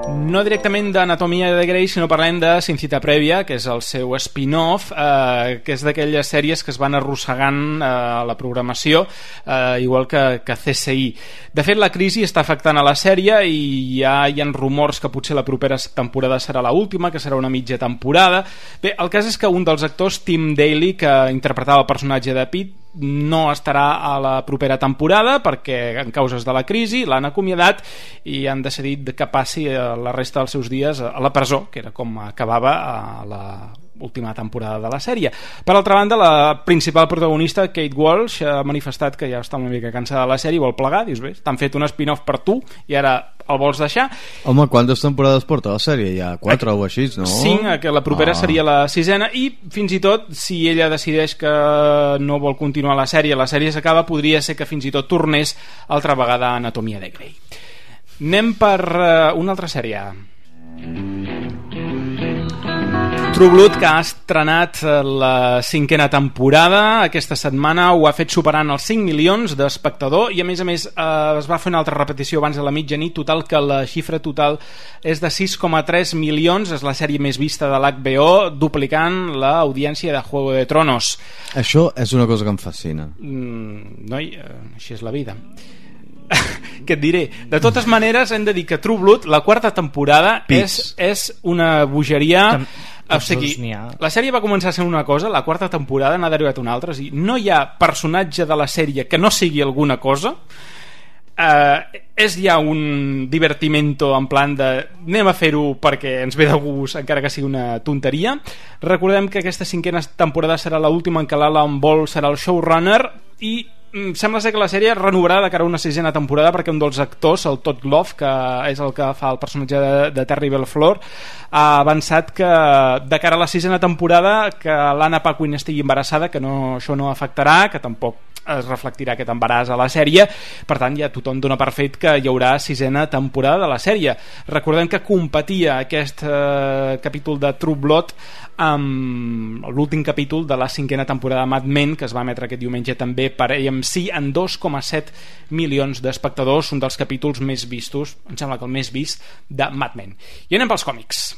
No directament d'Anatomia de Grey, sinó parlem de Sin Cita Prèvia, que és el seu spin-off, que és d'aquelles sèries que es van arrossegant a la programació, igual que CSI. De fet, la crisi està afectant a la sèrie i ja hi ha rumors que potser la propera temporada serà l'última, que serà una mitja temporada. Bé, el cas és que un dels actors, Tim Daly, que interpretava el personatge de Pete, no estarà a la propera temporada perquè en causes de la crisi l'han acomiadat i han decidit que passi la resta dels seus dies a la presó, que era com acabava última temporada de la sèrie. Per altra banda, la principal protagonista, Kate Walsh, ha manifestat que ja està una mica cansada de la sèrie i vol plegar. Dius, bé, t'han fet un spin-off per tu i ara el vols deixar. Home, quantes temporades porta la sèrie? Ja 4 o així, no? 5, que la propera seria la 6ª, i fins i tot, si ella decideix que no vol continuar la sèrie s'acaba, podria ser que fins i tot tornés altra vegada a Anatomia de Grey. Anem per una altra sèrie. True Blood, que ha estrenat la 5ª temporada aquesta setmana, ho ha fet superant els 5 milions d'espectadors i a més es va fer una altra repetició abans de la mitjanit, total que la xifra total és de 6,3 milions, és la sèrie més vista de l'HBO, duplicant l'audiència de Juego de Tronos. Això és una cosa que em fascina. Noi, així és la vida. Què et diré? De totes maneres, hem de dir que True Blood, la 4ª temporada, és una bogeria. O sigui, la sèrie va començar sent una cosa, la 4ª temporada n'ha derivat una altra. O sigui, no hi ha personatge de la sèrie que no sigui alguna cosa. És ja un divertimento en plan de anem a fer-ho perquè ens ve de gust, encara que sigui una tonteria. Recordem que aquesta 5ª temporada serà l'última en què l'Alan Ball serà el showrunner i sembla ser que la sèrie renovarà de cara a una 6ª temporada perquè un dels actors, el Todd Love, que és el que fa el personatge de Terry Belflor, ha avançat que de cara a la 6ª temporada que l'Anna Paquin estigui embarassada, que això no afectarà, que tampoc es reflectirà aquest embaràs a la sèrie. Per tant, ja tothom dona per fet que hi haurà 6ª temporada de la sèrie. Recordem que competia aquest capítol de True Blood amb l'últim capítol de la 5ª temporada de Mad Men, que es va emetre aquest diumenge també per AMC, en 2,7 milions d'espectadors, un dels capítols més vistos, em sembla que el més vist, de Mad Men. I anem pels còmics.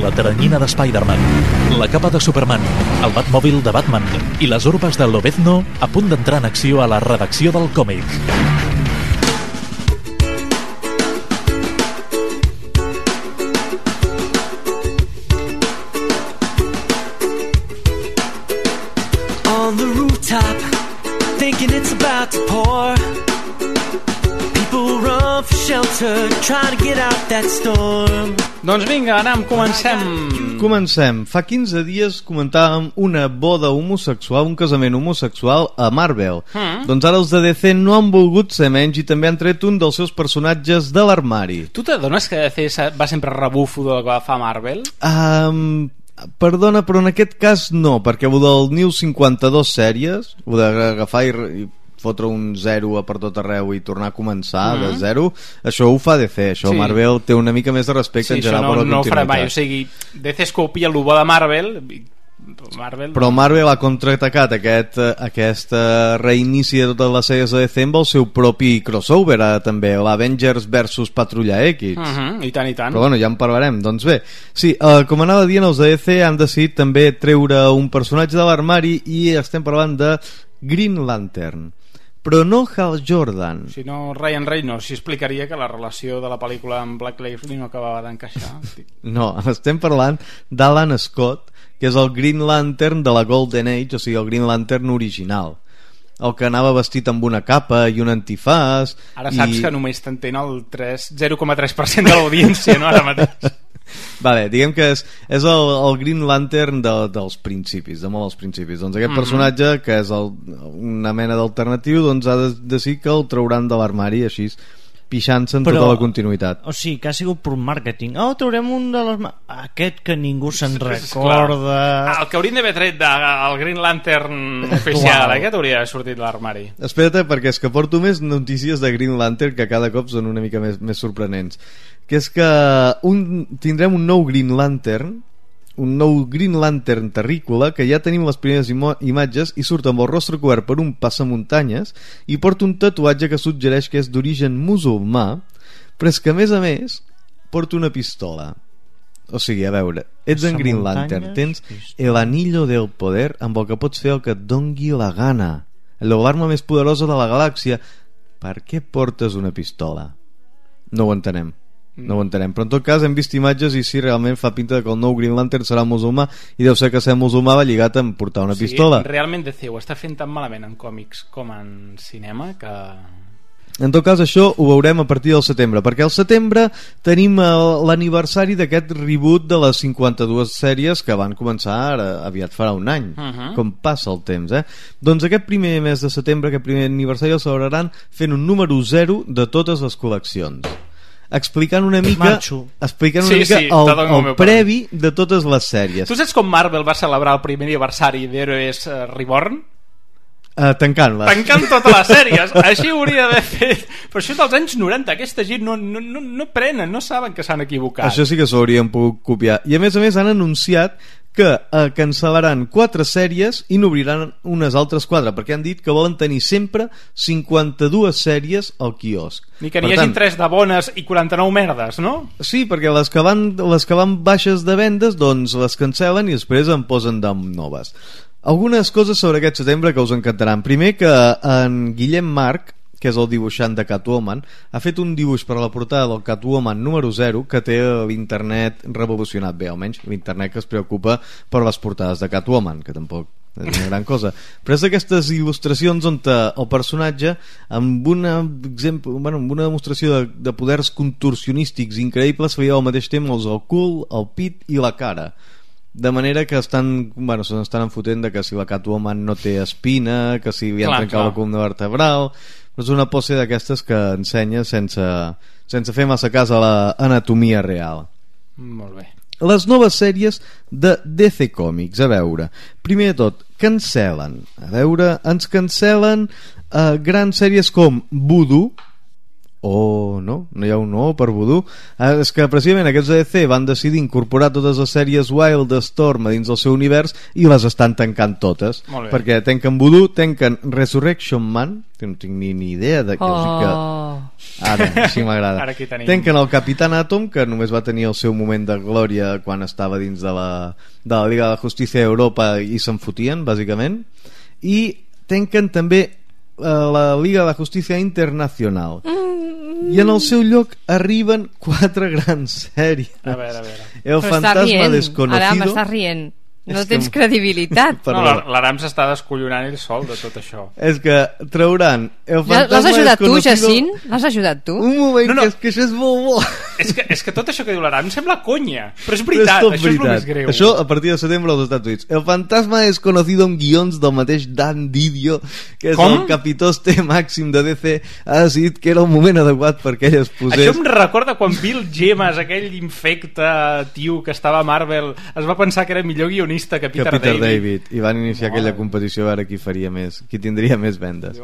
La teranyina de Spider-Man, la capa de Superman, el Batmòbil de Batman i les urbes de Lobezno a punt d'entrar en acció a la redacció del còmic. On the rooftop, thinking it's about to pour. People run for shelter, trying to get out that storm. Doncs vinga, anem, Comencem. Fa 15 dies comentàvem una boda homosexual, un casament homosexual a Marvel. Doncs ara els de DC no han volgut ser menys i també han tret un dels seus personatges de l'armari. Tu t'adones que DC va sempre rebufo del que fa Marvel? Perdona, però en aquest cas no, perquè ho del New 52 sèries, ho d'agafar i fotre un 0 a per tot arreu i tornar a començar de 0, això ho fa DC, això sí. Marvel té una mica més de respecte en general per la continuïtat. Sí, això no ho farà mai, o sigui, DC es copia el bo de Marvel, però Marvel ha contraatacat aquest reinici de totes les sèries de DC amb el seu propi crossover, també l'Avengers versus Patrulla X. I tant, i tant. Però bueno, ja en parlarem. Doncs bé, sí, com anava dient, els de DC han decidit també treure un personatge de l'armari i estem parlant de Green Lantern. Però no Hal Jordan. Si no, Ryan Reynolds explicaria que la relació de la pel·lícula amb Black Lively no acabava d'encaixar. No, estem parlant d'Alan Scott, que és el Green Lantern de la Golden Age, o sigui, el Green Lantern original. El que anava vestit amb una capa i un antifàs. Ara saps que només t'entén el 0,3% de l'audiència, no? Ara mateix. Vale, diguem que és el Green Lantern dels principis, de molt dels principis. Doncs aquest personatge, que és una mena d'alternatiu, doncs ha de decidir que el trauran de l'armari, així pixant-se en tota la continuïtat. O sigui, que ha sigut per màrqueting. Traurem un de les... Aquest que ningú se'n recorda. El que hauríem d'haver tret del Green Lantern oficial, aquest hauria sortit de l'armari. Espera't, perquè és que porto més notícies de Green Lantern que cada cop són una mica més sorprenents. Que és que tindrem un nou Green Lantern, terrícola, que ja tenim les primeres imatges i surt amb el rostre cobert per un passamuntanyes i porta un tatuatge que suggereix que és d'origen musulmà, però és que a més porta una pistola. O sigui, a veure, ets en Green Lantern, tens el anillo del poder amb el que pots fer el que et dongui la gana, l'arma més poderosa de la galàxia. Per què portes una pistola? No ho entenem. No ho entenem, però en tot cas hem vist imatges i sí, realment fa pinta que el nou Green Lantern serà musulmà i deu ser que ser musulmà va lligat amb portar una pistola. Realment DC ho està fent tan malament en còmics com en cinema que... En tot cas, això ho veurem a partir del setembre, perquè al setembre tenim l'aniversari d'aquest reboot de les 52 sèries que van començar ara, aviat farà un any. Com passa el temps, Doncs aquest primer mes de setembre, aquest primer aniversari, el celebraran fent un número 0 de totes les col·leccions, explicant una mica el previ de totes les sèries. Tu saps com Marvel va celebrar el primer aniversari d'Heroes Reborn? Tancant totes les sèries. Així ho hauria d'haver fet. Però això és dels anys 90. Aquesta gent no prenen, no saben que s'han equivocat. Això sí que s'ho haurien pogut copiar. I a més han anunciat que cancel·laran 4 sèries i n'obriran unes altres 4, perquè han dit que volen tenir sempre 52 sèries al quiosc. Ni que n'hi hagin 3 de bones i 49 merdes, no? Sí, perquè les que van baixes de vendes, doncs les cancel·len i després en posen de noves. Algunes coses sobre aquest setembre que us encantaran. Primer, que en Guillem Marc, que és el dibuixant de Catwoman, ha fet un dibuix per a la portada del Catwoman número 0 que té l'internet revolucionat bé, almenys l'internet que es preocupa per les portades de Catwoman, que tampoc és una gran cosa, però és d'aquestes il·lustracions on el personatge amb una demostració de poders contorsionístics increïbles se li al mateix temps el cul, el pit i la cara, de manera que s'estan enfotent de que si la Catwoman no té espina, que si li han trencat la columna vertebral. És una pose d'aquestes que ensenya sense fer massa cas a l'anatomia real. Molt bé. Les noves sèries de DC Comics, a veure, primer de tot cancel·len, ens cancel·len grans sèries com Voodoo. No hi ha un no per Voodoo. És que precisament aquests DC van decidir incorporar totes les sèries Wildstorm a dins del seu univers i les estan tancant totes, perquè tanquen Voodoo, tanquen Resurrection Man, que no tinc ni idea de què ara, així m'agrada. Tanquen el Capitán Atom, que només va tenir el seu moment de glòria quan estava dins de la Liga de Justícia d'Europa i se'n fotien, bàsicament, i tanquen també la Liga de Justícia Internacional. I en el seu lloc arriben 4 grans sèries. A veure. El Fantasma Desconocido. Ara m'estàs rient. No tens credibilitat. L'Aram s'està descollonant ell sol de tot això. És que trauran El Fantasma L'has ajudat tu, Jacint? L'has ajudat tu? Un moment, que això és molt bo. És que tot això que diu l'Aram sembla conya, però és veritat, això és el més greu. Això a partir de setembre als Estats Units. El Fantasma Desconocido amb guions del mateix Dan Didio, que és el capitoste màxim de DC, ha decidit que era el moment adequat perquè ell es posés... Això em recorda quan Bill Gemas, aquell infecte tio que estava a Marvel, es va pensar que era millor guionista que Peter David, i van iniciar aquella competició a veure qui faria més, qui tindria més vendes.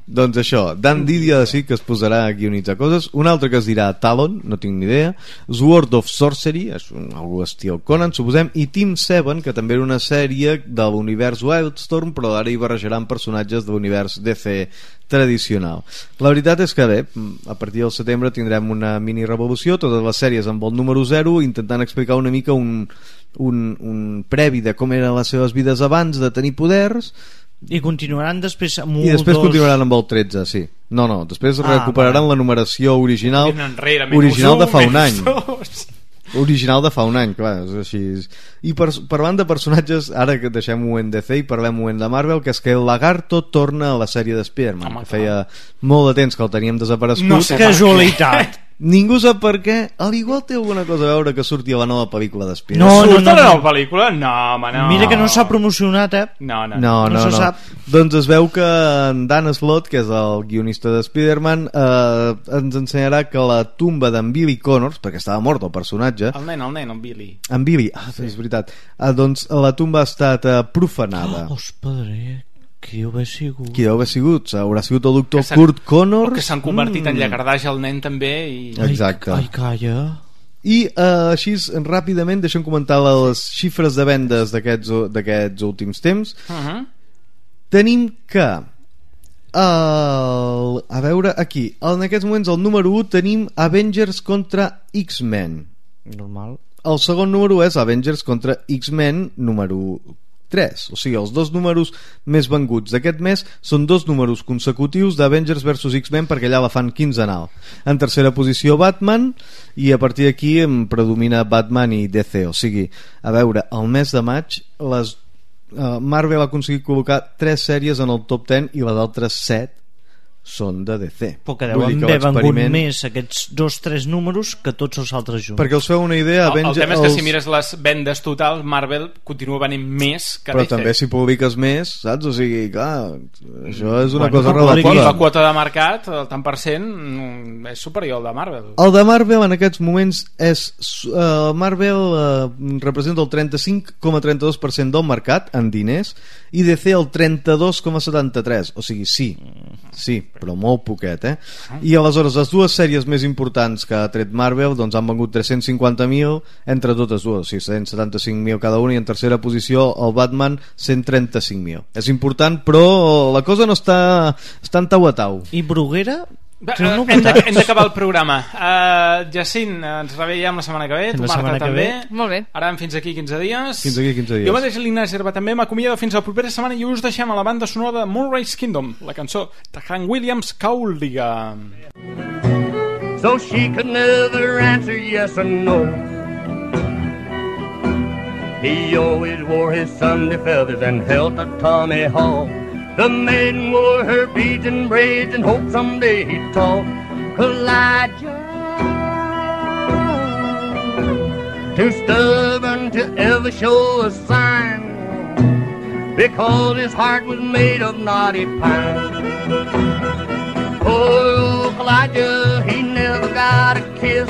Doncs això, Dan Didio ha decidit que es posarà a guionitzar coses. Un altre que es dirà Talon, no tinc ni idea. Sword of Sorcery, és algú estil Conan, suposem, i Team 7, que també era una sèrie de l'univers Wildstorm, però ara hi barrejaran personatges de l'univers DC tradicional. La veritat és que bé, a partir del setembre tindrem una mini revolució, totes les sèries amb el número 0, intentant explicar una mica un previ de com eren les seves vides abans de tenir poders, i continuaran després amb i després continuaran amb el 13, sí. No, després recuperaran la numeració original de fa un any. Original de fa un any, clar, és així. I parlant de personatges, ara que deixem-ho en DC i parlem-ho en de Marvel, que és que el Lagarto torna a la sèrie de Spider-Man, que feia molt de temps que el teníem desaparegut. No sé, casualitat. Ningú sap per què. Al igual té alguna cosa a veure que surti a la nova pel·lícula d'Spider-Man. No. La nova pel·lícula? No, home, no. Mira que no s'ha promocionat, No se sap. Doncs es veu que en Dan Slott, que és el guionista de Spider-Man, ens ensenyarà que la tumba d'en Billy Connors, perquè estava mort el personatge, el nen, en Billy. En Billy, és veritat. Doncs la tumba ha estat profanada. Padre, qui deu haver sigut? Qui deu haver sigut? Haurà sigut el doctor Kurt Connors, o que s'han convertit en llagardaix el nen també Exacte. Ai, calla. I així ràpidament deixem comentar les xifres de vendes d'aquests últims temps. Tenim que a veure aquí, en aquests moments el número 1 tenim Avengers contra X-Men. Normal. El segon número és Avengers contra X-Men número 3, o sigui, els 2 números més venguts d'aquest mes són 2 números consecutius d'Avengers vs X-Men, perquè allà la fan quinzenal. En tercera posició Batman, i a partir d'aquí em predomina Batman i DC, o sigui, a veure, el mes de maig Marvel ha aconseguit col·locar 3 sèries en el top 10 i les altres 7 són de DC. Però que deuen haver vengut més aquests 2-3 números que tots els altres junts. Perquè us feu una idea... El tema és que si mires les vendes totals, Marvel continua venent més que però DC. També si publiques més, saps? O sigui, clar, això és una cosa relativa. La quota de mercat, el tant per cent, és superior al de Marvel. El de Marvel en aquests moments és... Marvel representa el 35,32% del mercat en diners i DC el 32,73%. O sigui, sí, però molt poquet, I aleshores les dues sèries més importants que ha tret Marvel doncs han vengut 350.000 entre totes dues, o sigui 175.000 cada una, i en tercera posició el Batman 135.000. És important, però la cosa no està en tau a tau. I Bruguera? Hem d'acabar el programa. Jacint, ens reveiem la setmana que ve, tu Marta també. Molt bé. Ara fins aquí 15 dies. Fins aquí 15 dies. Jo mateix, l'Ignasi Herba, també m'acomiado fins la propera setmana i us deixem a la banda sonora de Moonrise Kingdom, la cançó de Hank Williams, Cowliga. So she could never answer yes or no. He always wore his Sunday feathers and held a Tommy Hawk. The maiden wore her beads and braids and hoped someday he'd talk. Elijah, too stubborn to ever show a sign, because his heart was made of knotty pine. Oh, Elijah, he never got a kiss.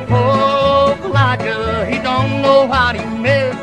Oh, Elijah, he don't know what he missed.